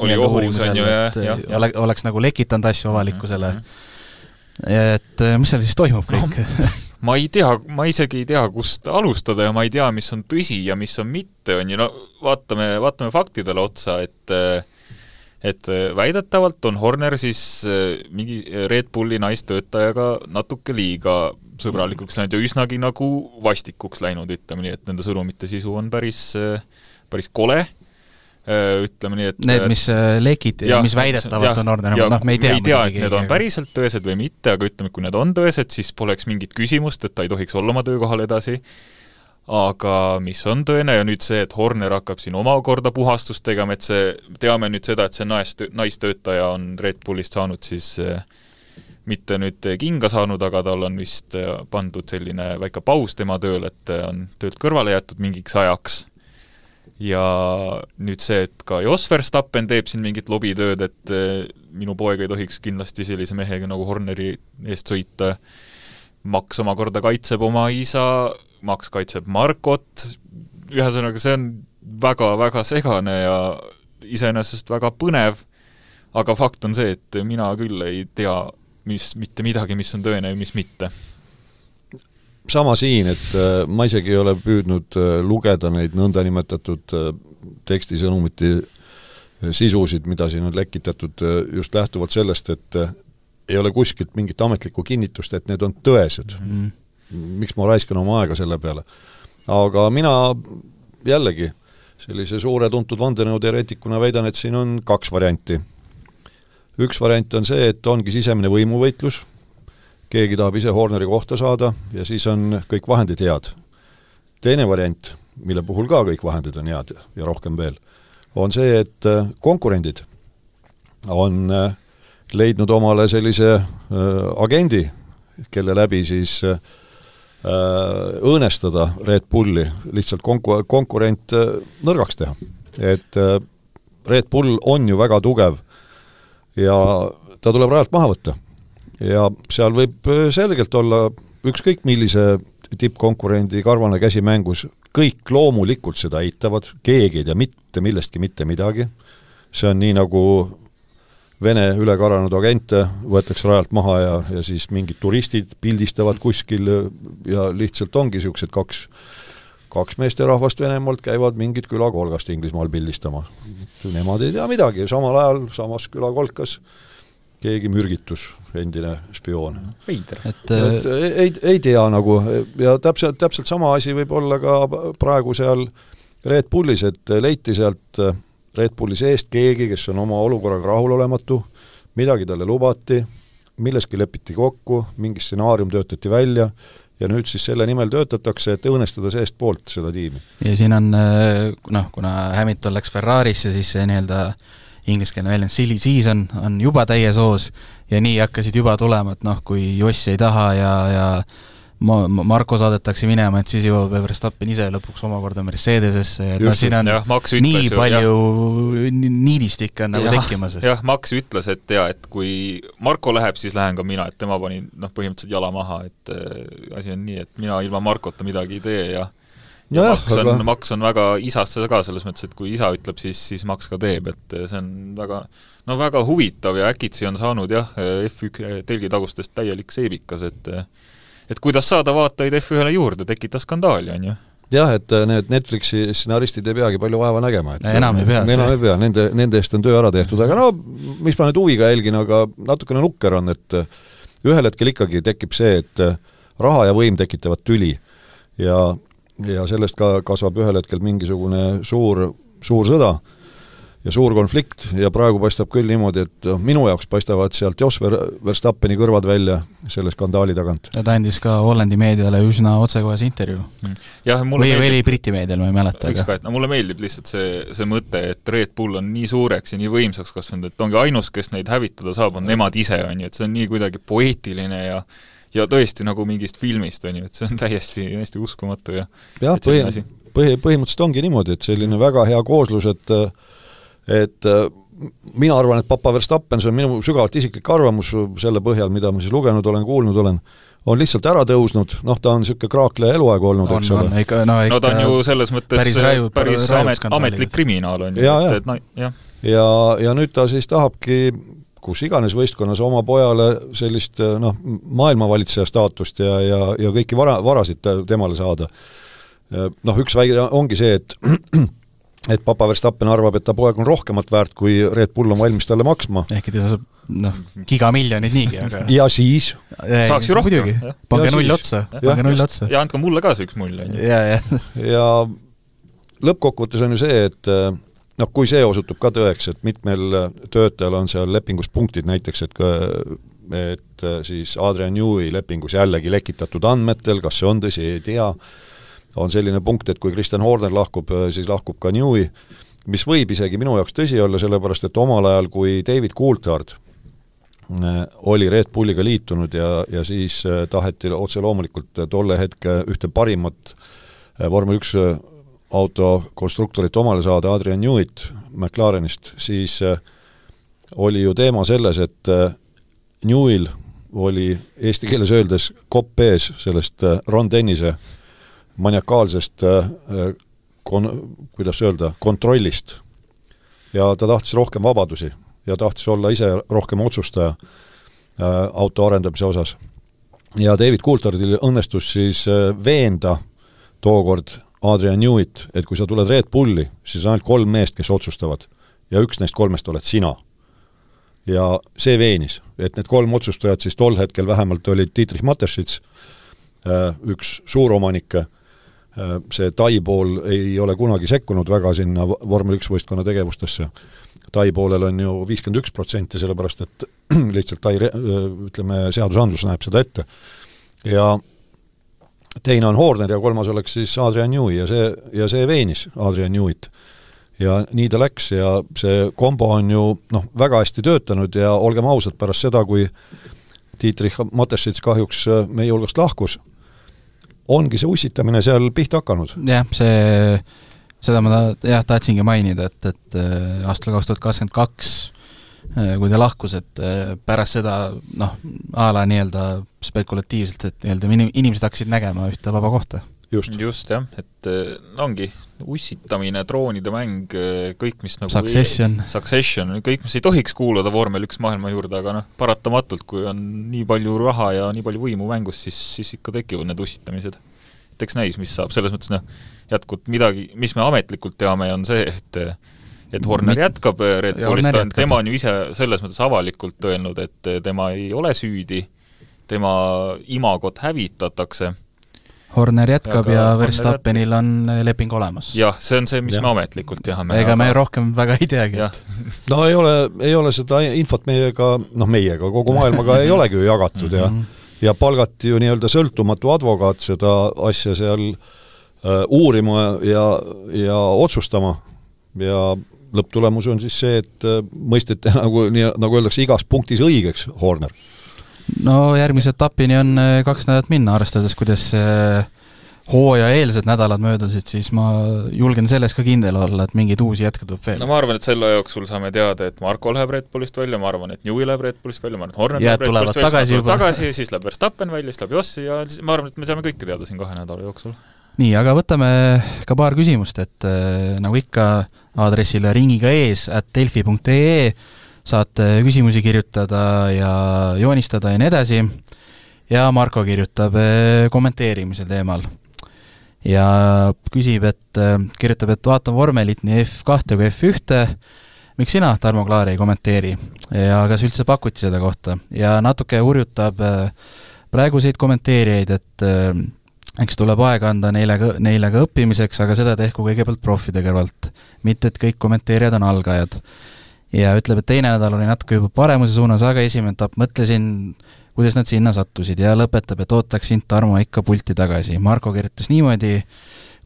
D: oli ohus, on ju,
B: et ja, ja. Ole, oleks nagu lekitanud asju avalikkusele. Mm-hmm. Et mis seal siis toimub kõik?
D: No, ma ei tea, ma isegi ei tea, kust alustada ja ma ei tea, mis on tõsi ja mis on mitte, on ju, no vaatame, vaatame faktidele otsa, et et väidetavalt on Horner siis mingi Red Bulli naistöötajaga natuke liiga sõbralikuks läinud ja üsnagi nagu vastikuks läinud, ütleme nii, et nende sõnumite sisu on päris, päris kole, ütleme nii, et
B: need, mis lekid, mis väidetavalt ja, on Horner, noh, me ei tea,
D: me ei tea, et need on päriselt tõesed või mitte, aga ütleme, kui need on tõesed, siis poleks mingit küsimust, et ta ei tohiks olla oma töökohal edasi. Aga mis on tõene ja nüüd see, et Horner hakkab siin omakorda puhastust tegema, et see, teame nüüd seda, et see naistöötaja on Red Bullist saanud siis mitte nüüd kinga saanud, aga tal on vist pandud selline väike paus tema tööl, et on töölt kõrvale jätud mingiks ajaks. Ja nüüd see, et ka Jos Verstappen teeb siin mingit lobitööd, et minu poeg ei tohiks kindlasti sellise mehega nagu Horneri eest sõita. Max omakorda kaitseb oma isa, Max kaitseb Markot, ühesõnaga see on väga-väga segane ja iseenesest väga põnev, aga fakt on see, et mina küll ei tea mis, mitte midagi, mis on tõene ja mis mitte.
C: Sama siin, et ma isegi ei ole püüdnud lugeda neid nõndanimetatud tekstisõnumiti sisusid, mida siin on lekitatud just lähtuvalt sellest, et ei ole kuskilt mingit ametlikku kinnitust, et need on tõesed. Mm. Miks ma raiskan oma aega selle peale. Aga mina jällegi sellise suure tuntud vandenõuteoreetikuna väidan, et siin on kaks varianti. Üks variant on see, et ongi sisemine võimuvõitlus, keegi tahab ise Horneri kohta saada ja siis on kõik vahendid head. Teine variant, mille puhul ka kõik vahendid on head ja rohkem veel, on see, et konkurendid on leidnud omale sellise agendi, kelle läbi siis õõnestada Red Bulli, lihtsalt konku- konkurent nõrgaks teha. Et Red Bull on ju väga tugev ja ta tuleb rajalt maha võtta. Ja seal võib selgelt olla ükskõik millise tippkonkurendi karvane käsi mängus, kõik loomulikult seda eitavad, keegi ei tea mitte millestki mitte midagi. See on nii nagu Vene ülekaranud agente võetakse rajalt maha ja, ja siis mingid turistid pildistavad kuskil ja lihtsalt ongi niisugused kaks, kaks meesterahvast Venemaalt käivad mingid külakolgast Inglismaal pildistama. Nemad ei tea midagi, samal ajal samas külakolkas keegi mürgitus, endine spioon.
B: Et,
C: et ei, ei tea nagu ja täpselt, täpselt sama asi võib olla ka praegu seal Red Bullis, et leiti sealt Red Bulli seest keegi, kes on oma olukorraga rahulolematu, midagi talle lubati, milleski lepiti kokku, mingi stsenaarium töötati välja ja nüüd siis selle nimel töötatakse, et õõnestada seest poolt seda tiimi.
B: Ja siin on, noh, kuna Hamilton läks Ferrarisse, siis see nii-öelda ingliskeelne väljend silly season on juba täies hoos ja nii hakkasid juba tulema, et noh, kui Joss ei taha ja, ja Marko saadetakse minema, et siis jõuab Verstappen ise lõpuks omakorda Mercedesesse, et no siin on
D: jah,
B: nii ju, palju niidistik on nagu
D: jah,
B: tekkimas.
D: Jah, Max ütles, et ja, et kui Marko läheb, siis lähen ka mina, et tema pani noh, põhimõtteliselt jala maha, et äh, asi on nii, et mina ilma Markota midagi ei tee ja, ja, ja Max, on, aga... Max on väga isasse ka selles mõttes, et kui isa ütleb, siis, siis Max ka teeb, et see on väga, no väga huvitav ja äkitsi on saanud jah, F üks telgitagustest täielik seebikas, et et kuidas saada vaatajaid F ühele juurde, tekita skandaali, on ju?
C: Jah, et need Netflixi stsenaristid ei peagi palju vaeva nägema. Et
B: enam ei pea.
C: Enam ei pea, nende, nende eest on töö ära tehtud, aga no, mis ma nüüd huviga jälgin, aga natukene nukker on, et ühel hetkel ikkagi tekib see, et raha ja võim tekitavad tüli ja, ja sellest ka kasvab ühel hetkel mingisugune suur, suur sõda ja suur konflikt ja praegu paistab küll niimoodi, et minu jaoks paistavad sealt Jos Verstappeni kõrvad välja selle skandaali tagant.
B: Ja ta andis ka Hollandi meediale üsna otsekohase intervju.
D: Ja,
B: või meeldib, oli Briti meedial, ma ei mäleta.
D: Aga. No, mulle meeldib lihtsalt see, see mõte, et Red Bull on nii suureks ja nii võimsaks kasvanud, et ongi ainus, kes neid hävitada saab, on nemad ise, on ju, et see on nii kuidagi poeetiline ja ja tõesti nagu mingist filmist, on ju, et see on täiesti, täiesti uskumatu ja,
C: ja põhi, põhi, põhimõtteliselt ongi niimoodi, et selline väga hea kooslus, et et mina arvan, et Papa Verstappen, see on minu sügavalt isiklik arvamus selle põhjal, mida ma siis lugenud olen, kuulnud olen, on lihtsalt ära tõusnud, noh, ta on niisugune kraakleja eluaeg olnud,
B: on,
C: eks ole.
B: No, ikka, no, ikka
D: no ta on ju selles mõttes päris, raju, päris amet, ametlik kriminaal on ju,
C: ja,
D: et,
C: ja.
D: et no, jah.
C: ja, ja nüüd ta siis tahabki kus iganes võistkonnas oma pojale sellist noh, maailmavalitseja staatust ja, ja, ja kõiki vara, varasid temale saada. Noh, üks väige ongi see, et et Papa Verstappen arvab, et ta poeg on rohkemat väärt, kui Red Bull on valmis talle maksma.
B: Ehk ta saab noh, gigamiljonid niigi, aga
C: ja siis
D: saaks ju rohkem.
B: Pange null otsa. Pange null otsa.
D: Ja andke mulle ka see üks mull.
B: Ja, ja.
C: ja lõppkokkuvõttes on ju see, et noh, kui see osutub ka tõeks, et mitmel töötajal on seal lepingus punktid näiteks, et, et siis Adrian Newey lepingus jällegi lekitatud andmetel, kas see on tõsi, ei tea, on selline punkt, et kui Christian Horner lahkub, siis lahkub ka Newey, mis võib isegi minu jaoks tõsi olla, sellepärast et omal ajal, kui David Coulthard oli Red Bulliga liitunud ja, ja siis taheti otse loomulikult tolle hetke ühte parimat vormel üks autokonstruktorit omale saada, Adrian Neweyt McLarenist, siis oli ju teema selles, et Neweyl oli eesti keeles öeldes kopp ees sellest Ron Dennise maniakaalsest kon, kuidas öelda, kontrollist. Ja ta tahtis rohkem vabadusi ja tahtis olla ise rohkem otsustaja auto arendamise osas. Ja David Coulthardil õnnestus siis veenda tookord Adrian Neweyt, et kui sa tuled Red Bulli, siis on ainult kolm meest, kes otsustavad ja üks neist kolmest oled sina. Ja see veenis, et need kolm otsustajad siis tol hetkel vähemalt olid Dietrich Mateschitz, üks suuromanikke, see Tai pool ei ole kunagi sekkunud väga sinna vormel üks võistkonna tegevustesse. Tai poolel on ju viiskümmend üks protsenti, sellepärast et lihtsalt Tai, ütleme, seadusandlus näeb seda ette. Ja teine on Horner ja kolmas oleks siis Adrian Newey ja see, ja see veenis Adrian Neweyt. Ja nii ta läks ja see kombo on ju noh, väga hästi töötanud ja olgem ausad pärast seda, kui Dietrich Mateschitz kahjuks meie hulgast lahkus, ongi see ussitamine seal pihta hakanud.
B: Jah, see, seda ma ta, jah, tahtsingi mainida, et, et aastal kaks tuhat kakskümmend kaks, kui ta lahkus, et pärast seda, noh, ala nii-öelda spekulatiivselt, et nii-öelda inimesed hakkasid nägema ühte vaba kohta.
C: Just,
D: Just jah, et ongi ussitamine, troonide mäng, kõik, mis nagu
B: Succession.
D: Ei, Succession, kõik, mis ei tohiks kuuluda vormel üks maailma juurde, aga noh, paratamatult, kui on nii palju raha ja nii palju võimu mängus, siis, siis ikka tekivad need ussitamised. Et eks näis, mis saab, selles mõttes noh, jätkub midagi, mis me ametlikult teame, on see, et et Horner jätkab Red Bullist, tema on ju ise selles mõttes avalikult öelnud, et tema ei ole süüdi, tema imagot hävitatakse.
B: Horner jätkab ja, ja Verstappenil on leping olemas.
D: Jah, see on see, mis ja. me ametlikult teame.
B: Ega me rohkem väga ei teagi.
C: No ei ole, ei ole seda infot meiega, noh meiega, kogu maailmaga ei olegi ju jagatud ja, ja palgati ju nii-öelda sõltumatu advokaat seda asja seal uh, uurima ja, ja otsustama ja lõpptulemus on siis see, et uh, mõistete nagu, nii, nagu öeldakse igas punktis õigeks Horner.
B: No järgmise etapini on kaks nädalat minna, arvestades, kuidas hooaja eelsed nädalad möödusid, siis ma julgen selles ka kindel olla, et mingeid uusi jätke tuleb veel.
D: No ma arvan, et selle jooksul saame teada, et Marko läheb Red Bullist välja, ma arvan, et Newey läheb Red Bullist välja, ma arvan, et Horner
B: ja,
D: läheb Red Bullist välja,
B: tagasi,
D: tagasi, siis läheb Verstappen välja, siis läheb Jossi ja ma arvan, et me saame kõike teada siin kahe nädala jooksul.
B: Nii, aga võtame ka paar küsimust, et nagu ikka aadressile ringiga ees at delfi punkt ee saate küsimusi kirjutada ja joonistada ja nii edasi ja Marko kirjutab kommenteerimisel teemal ja küsib, et kirjutab, et vaatan vormelit nii F kahte kui F ühte, miks sina, Tarmo Klaar, ei kommenteeri ja kas üldse pakuti seda kohta ja natuke hurjutab praeguseid kommenteerijaid, et eks tuleb aega anda neile, neile ka õppimiseks, aga seda tehku kõigepealt profide kõrvalt, mitte et kõik kommenteerijad on algajad. Ja ütleb, et teine nädal oli natuke juba paremuse suunas, aga esimene etapp mõtlesin, kuidas nad sinna sattusid ja lõpetab, et ootaksin Tarmo ikka pulti tagasi. Marko kirjutas niimoodi,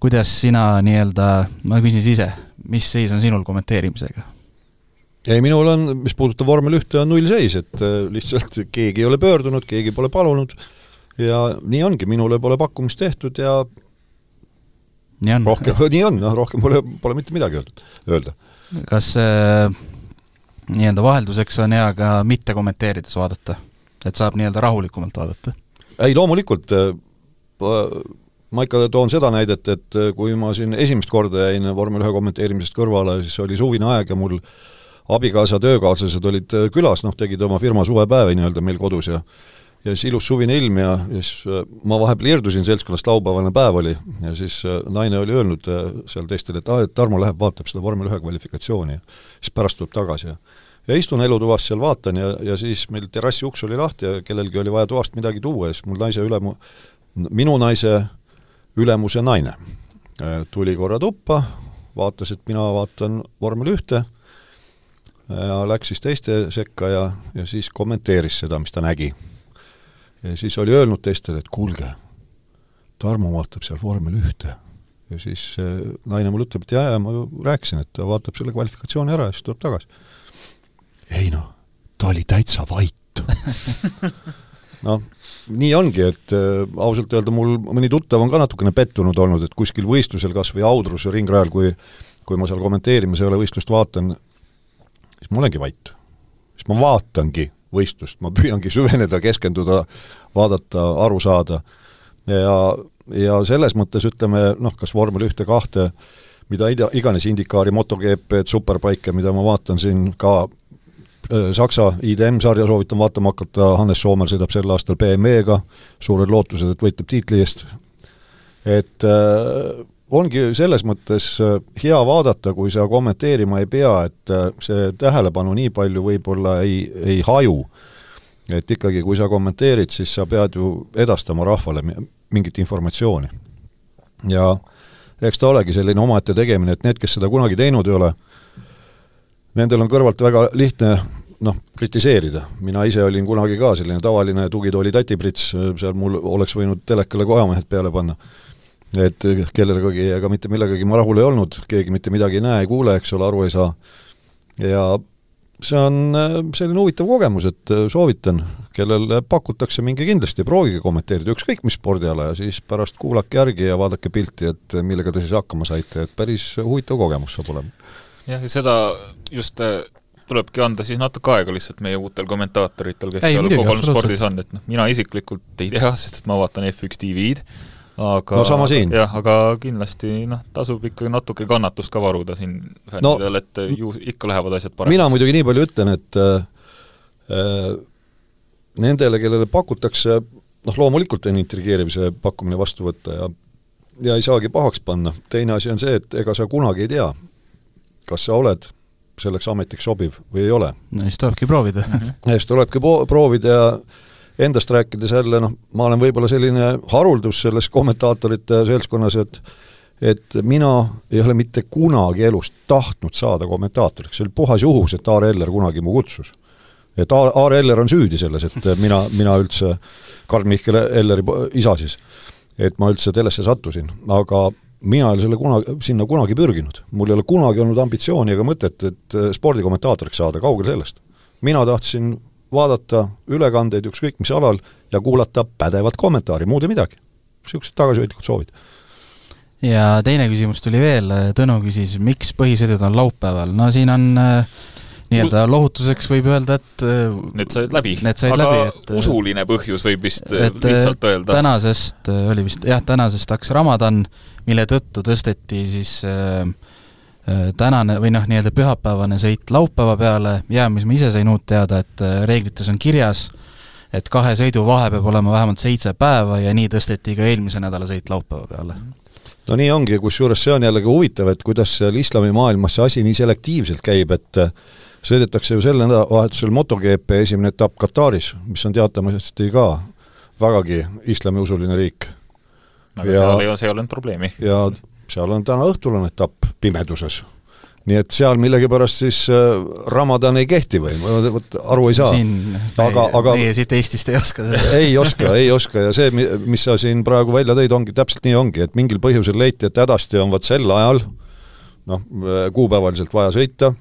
B: kuidas sina nii-öelda, ma küsin siis ise, mis seis on sinul kommenteerimisega?
C: Ei, minul on, mis puudutab vormel ühte, on null seis, et lihtsalt keegi ei ole pöördunud, keegi pole palunud ja nii ongi, minule pole pakkumist tehtud ja
B: nii on,
C: rohkem, nii on, no, rohkem pole, pole mitte midagi öelda.
B: Kas äh, nii-öelda vahelduseks on hea ka mitte kommenteerides vaadata, et saab nii-öelda rahulikumalt vaadata?
C: Ei, loomulikult ma ikka toon seda näidet, et kui ma siin esimest korda jäin vormel ühe kommenteerimisest kõrvale, siis oli suvine aeg ja mul abikaasa töökaaslased olid külas, noh, tegid oma firma suvepäevi nii-öelda meil kodus ja ja siis ilus suvine ilm ja, ja siis ma vahepeal irdusin seltskonnast, laupäevane päev oli ja siis naine oli öelnud seal teistele, et, et Tarmo läheb, vaatab seda vormel ühe kvalifikatsiooni ja siis pärast tuleb tagasi ja ja istun elutuvas seal, vaatan ja, ja siis meil terrassi uks oli lahti ja kellelgi oli vaja toast midagi tuua ja siis mul naise ülemu, minu naise ülemuse naine tuli korra tuppa, vaatas, et mina vaatan vormel ühte ja läks siis teiste sekka ja, ja siis kommenteeris seda, mis ta nägi. Ja siis oli öelnud teistele, et kuulge, Tarmo vaatab seal vormel ühte. Ja siis naine mul ütleb, et jah, ja ma rääkisin, et ta vaatab selle kvalifikatsiooni ära ja siis tuleb tagasi. Ei no, ta oli täitsa vait. No, nii ongi, et äh, ausalt öelda mul mõni tuttav on ka natukene pettunud olnud, et kuskil võistlusel kas või Audrus ja ringrajal, kui, kui ma seal kommenteerimas ei ole võistlust vaatan, siis ma olengi vait. Siis ma vaatangi võistlust, ma püüangi süveneda, keskenduda, vaadata, aru saada. Ja, ja selles mõttes ütleme, noh, kas vormel ühte kahte, mida iganes indikaari, MotoGP, Superbike, mida ma vaatan siin ka Saksa I D M-sarja soovitan vaatama hakata, Hannes Soomer sõidab sel aastal B M W-ga, suured lootused, et võitleb tiitli eest. Et äh, ongi selles mõttes hea vaadata, kui sa kommenteerima ei pea, et see tähelepanu nii palju võib-olla ei, ei haju. Et ikkagi, kui sa kommenteerid, siis sa pead ju edastama rahvale mingit informatsiooni. Ja eks ta olegi selline omaette tegemine, et need, kes seda kunagi teinud ei ole, nendel on kõrvalt väga lihtne noh, kritiseerida. Mina ise olin kunagi ka selline tavaline tugitooli tatiprits, seal mul oleks võinud telekale kojamehed peale panna. Et kellegagi ega mitte millegagi ma rahul ei olnud, keegi mitte midagi ei näe, ei kuule, eks ole, aru ei saa. Ja see on selline huvitav kogemus, et soovitan, kellel pakutakse mingi kindlasti, proovige kommenteerida ükskõik mis spordiala ja siis pärast kuulake järgi ja vaadake pilti, et millega te siis hakkama saite, et päris huvitav kogemus saab olema.
D: Jah, ja seda just tulebki anda siis natuke aega lihtsalt meie uutel kommentaatoritel, kes ei, ei ole kogu spordis on, et noh, mina isiklikult ei tea, sest et ma vaatan F üks T V-d, aga,
C: no sama siin.
D: Jah, aga kindlasti noh, tasub ikkagi natuke kannatust ka varuda siin fännidel, no, et ju ikka lähevad asjad paremaks. Mina
C: muidugi nii palju ütlen, et äh, nendele, kellele pakutakse, noh loomulikult on intrigeerimise pakkumine vastu võtta ja, ja ei saagi pahaks panna. Teine asi on see, et ega sa kunagi ei tea, kas sa oled selleks ametiks sobiv või ei ole.
B: No siis tulebki proovida.
C: Ja siis tulebki proovida ja endast rääkides jälle, noh, ma olen võib-olla selline haruldus selles kommentaatorite seltskonnas, et, et mina ei ole mitte kunagi elust tahtnud saada kommentaatoriks. See oli puhas juhus, et Aar Eller kunagi mu kutsus. Et Aar Eller on süüdi selles, et mina, mina üldse, Karl Mihkel Elleri isa siis, et ma üldse telesse sattusin, aga mina ei ole selle kunagi, sinna kunagi pürginud. Mul ei ole kunagi olnud ambitsiooni ega mõtet, et spordikommentaatoriks saada, kaugel sellest. Mina tahtsin vaadata ülekandeid ükskõik mis alal ja kuulata pädevat kommentaari, muud ei midagi. Siuksed tagasihoidlikud soovid.
B: Ja teine küsimus tuli veel, Tõnu küsis, miks põhisõidud on laupäeval? No siin on nii-öelda lohutuseks võib öelda, et
D: need said läbi,
B: need said
D: aga
B: läbi, et,
D: usuline põhjus võib vist lihtsalt öelda.
B: Tänasest oli vist, jah, tänasest hakkas Ramadan, mille tõttu tõsteti siis äh, tänane või noh, nii-öelda pühapäevane sõit laupäeva peale, ja mis ma ise sain uut teada, et reeglites on kirjas, et kahe sõidu vahe peab olema vähemalt seitse päeva ja nii tõsteti ka eelmise nädala sõit laupäeva peale.
C: No nii ongi, kusjuures see on jällegi huvitav, et kuidas seal islami maailmas see asi nii selektiivselt käib, et sõidetakse ju selle vahetusel MotoGP esimene etapp Kataris, mis on teatamasti ka vägagi islamiusuline riik.
D: Aga ja, seal ei ole, see ei ole probleemi.
C: Ja seal on täna õhtul on etapp pimeduses. Nii et seal millegipärast siis Ramadan ei kehti või, võt, aru ei saa.
B: Siin
C: aga, aga,
B: meie siit Eestist ei oska seda.
C: Ei oska, ei oska ja see, mis sa siin praegu välja tõid, ongi täpselt nii ongi, et mingil põhjusel leiti, et hädasti on vaat sel ajal noh, kuupäevaliselt vaja sõita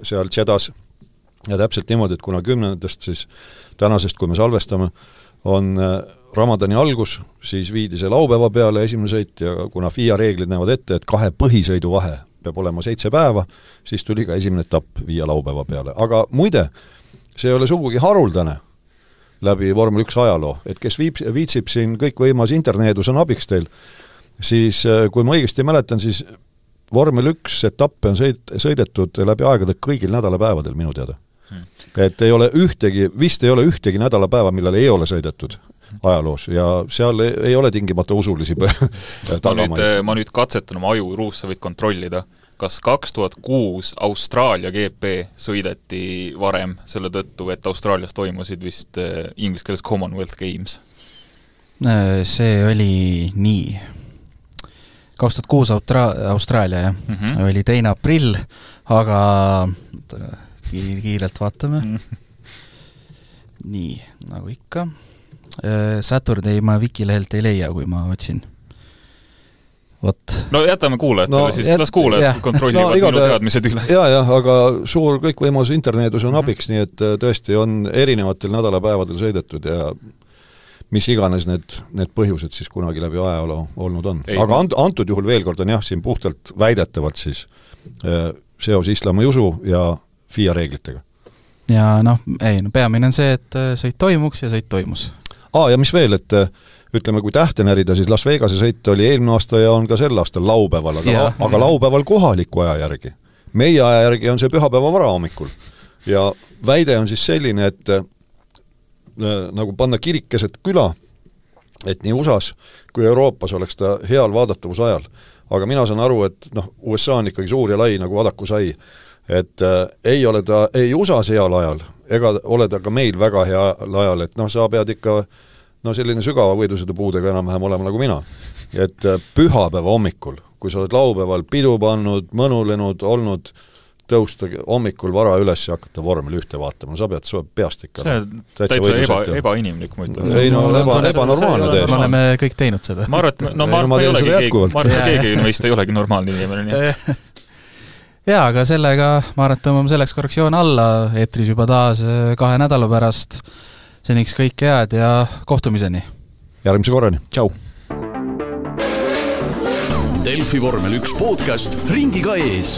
C: seal Tšedas ja täpselt niimoodi, et kuna kümnendast siis tänasest, kui me salvestame, on Ramadani algus, siis viidi see laupäeva peale esimene sõit ja kuna F I A reeglid näevad ette, et kahe põhisõidu vahe peab olema seitse päeva, siis tuli ka esimene etapp viia laupäeva peale. Aga muide, see ei ole sugugi haruldane läbi vormel üks ajaloo, et kes viib, viitsib siin kõik võimas interneedus on abiks teil, siis kui ma õigesti mäletan, siis vormel üks etappe on sõid, sõidetud läbi aegade kõigil nädalapäevadel minu teada. Hmm. Et ei ole ühtegi, vist ei ole ühtegi nädalapäeva, millal ei ole sõidetud ajaloos ja seal ei, ei ole tingimata usulisi
D: ma, nüüd, ma nüüd katsetan oma aju, Ruus, sa võid kontrollida, kas kaks tuhat kuus Austraalia G P sõideti varem selle tõttu, et Austraalias toimusid vist inglise keeles Commonwealth Games?
B: See oli nii. kaks tuhat kuus Austra- Austraalia, jah. Mm -hmm. Oli teine aprill, aga kiirelt vaatame. Mm -hmm. Nii, nagu ikka. Saturday ma Wikilehelt ei leia, kui ma otsin. Vot. No
D: jätame kuulajatele no, siis, las kuulajad kontrollivad no, minu teadmised üle.
C: Jaa, jah, aga suur kõikvõimalus interneedus on abiks, nii et tõesti on erinevatel nädalapäevadel sõidetud ja mis iganes need, need põhjused siis kunagi läbi ajaloo olnud on. Ei, aga ant, antud juhul veel kord on jah, siin puhtalt väidetavalt siis seos islami usu ja F I A reeglitega.
B: Ja noh, ei, no peamine on see, et sõit toimuks ja sõit toimus.
C: Aa, ja mis veel, et ütleme, kui tähte närida, siis Las Vegase sõit oli eelmine aasta ja on ka sel aastal laupäeval, aga, ja, aga laupäeval kohaliku aja järgi. Meie aja järgi on see pühapäeva varahommikul. Ja väide on siis selline, et äh, nagu panna kirik keset küla, et nii U S A-s kui Euroopas oleks ta heal vaadatavuse ajal. Aga mina saan aru, et noh, U S A on ikkagi suur ja lai nagu vadaku sai, et äh, ei ole ta ei U S A-s heal ajal, ega ole ta ka meil väga hea ajal, et noh, sa pead ikka no selline sügava võidusõidu puudega enam-vähem olema nagu mina. Et pühapäeva hommikul, kui sa oled laupäeval pidu pannud, mõnulenud, olnud, tõusta hommikul vara üles ja hakata vormel ühte vaatama, no sa pead su peast ikka.
D: See on täitsa eba, ebainimlik, ma ütlen.
C: Ei no, eba, ebanormaalne
B: täiesti. Me oleme kõik teinud seda.
D: Ma arvan, et no, ma arvan, ei olegi keegi, ma arvan, et keegi meist ei olegi normaalne inimene, nii et
B: jaa, aga sellega ma arvan, et tõmbame selleks korrektsioon alla, eetris juba taas kahe nädala pärast. Seniks kõik head ja kohtumiseni.
C: Järgmise korrani.
B: Tšau.
A: Delfi vormel üks podcast ringiga ees.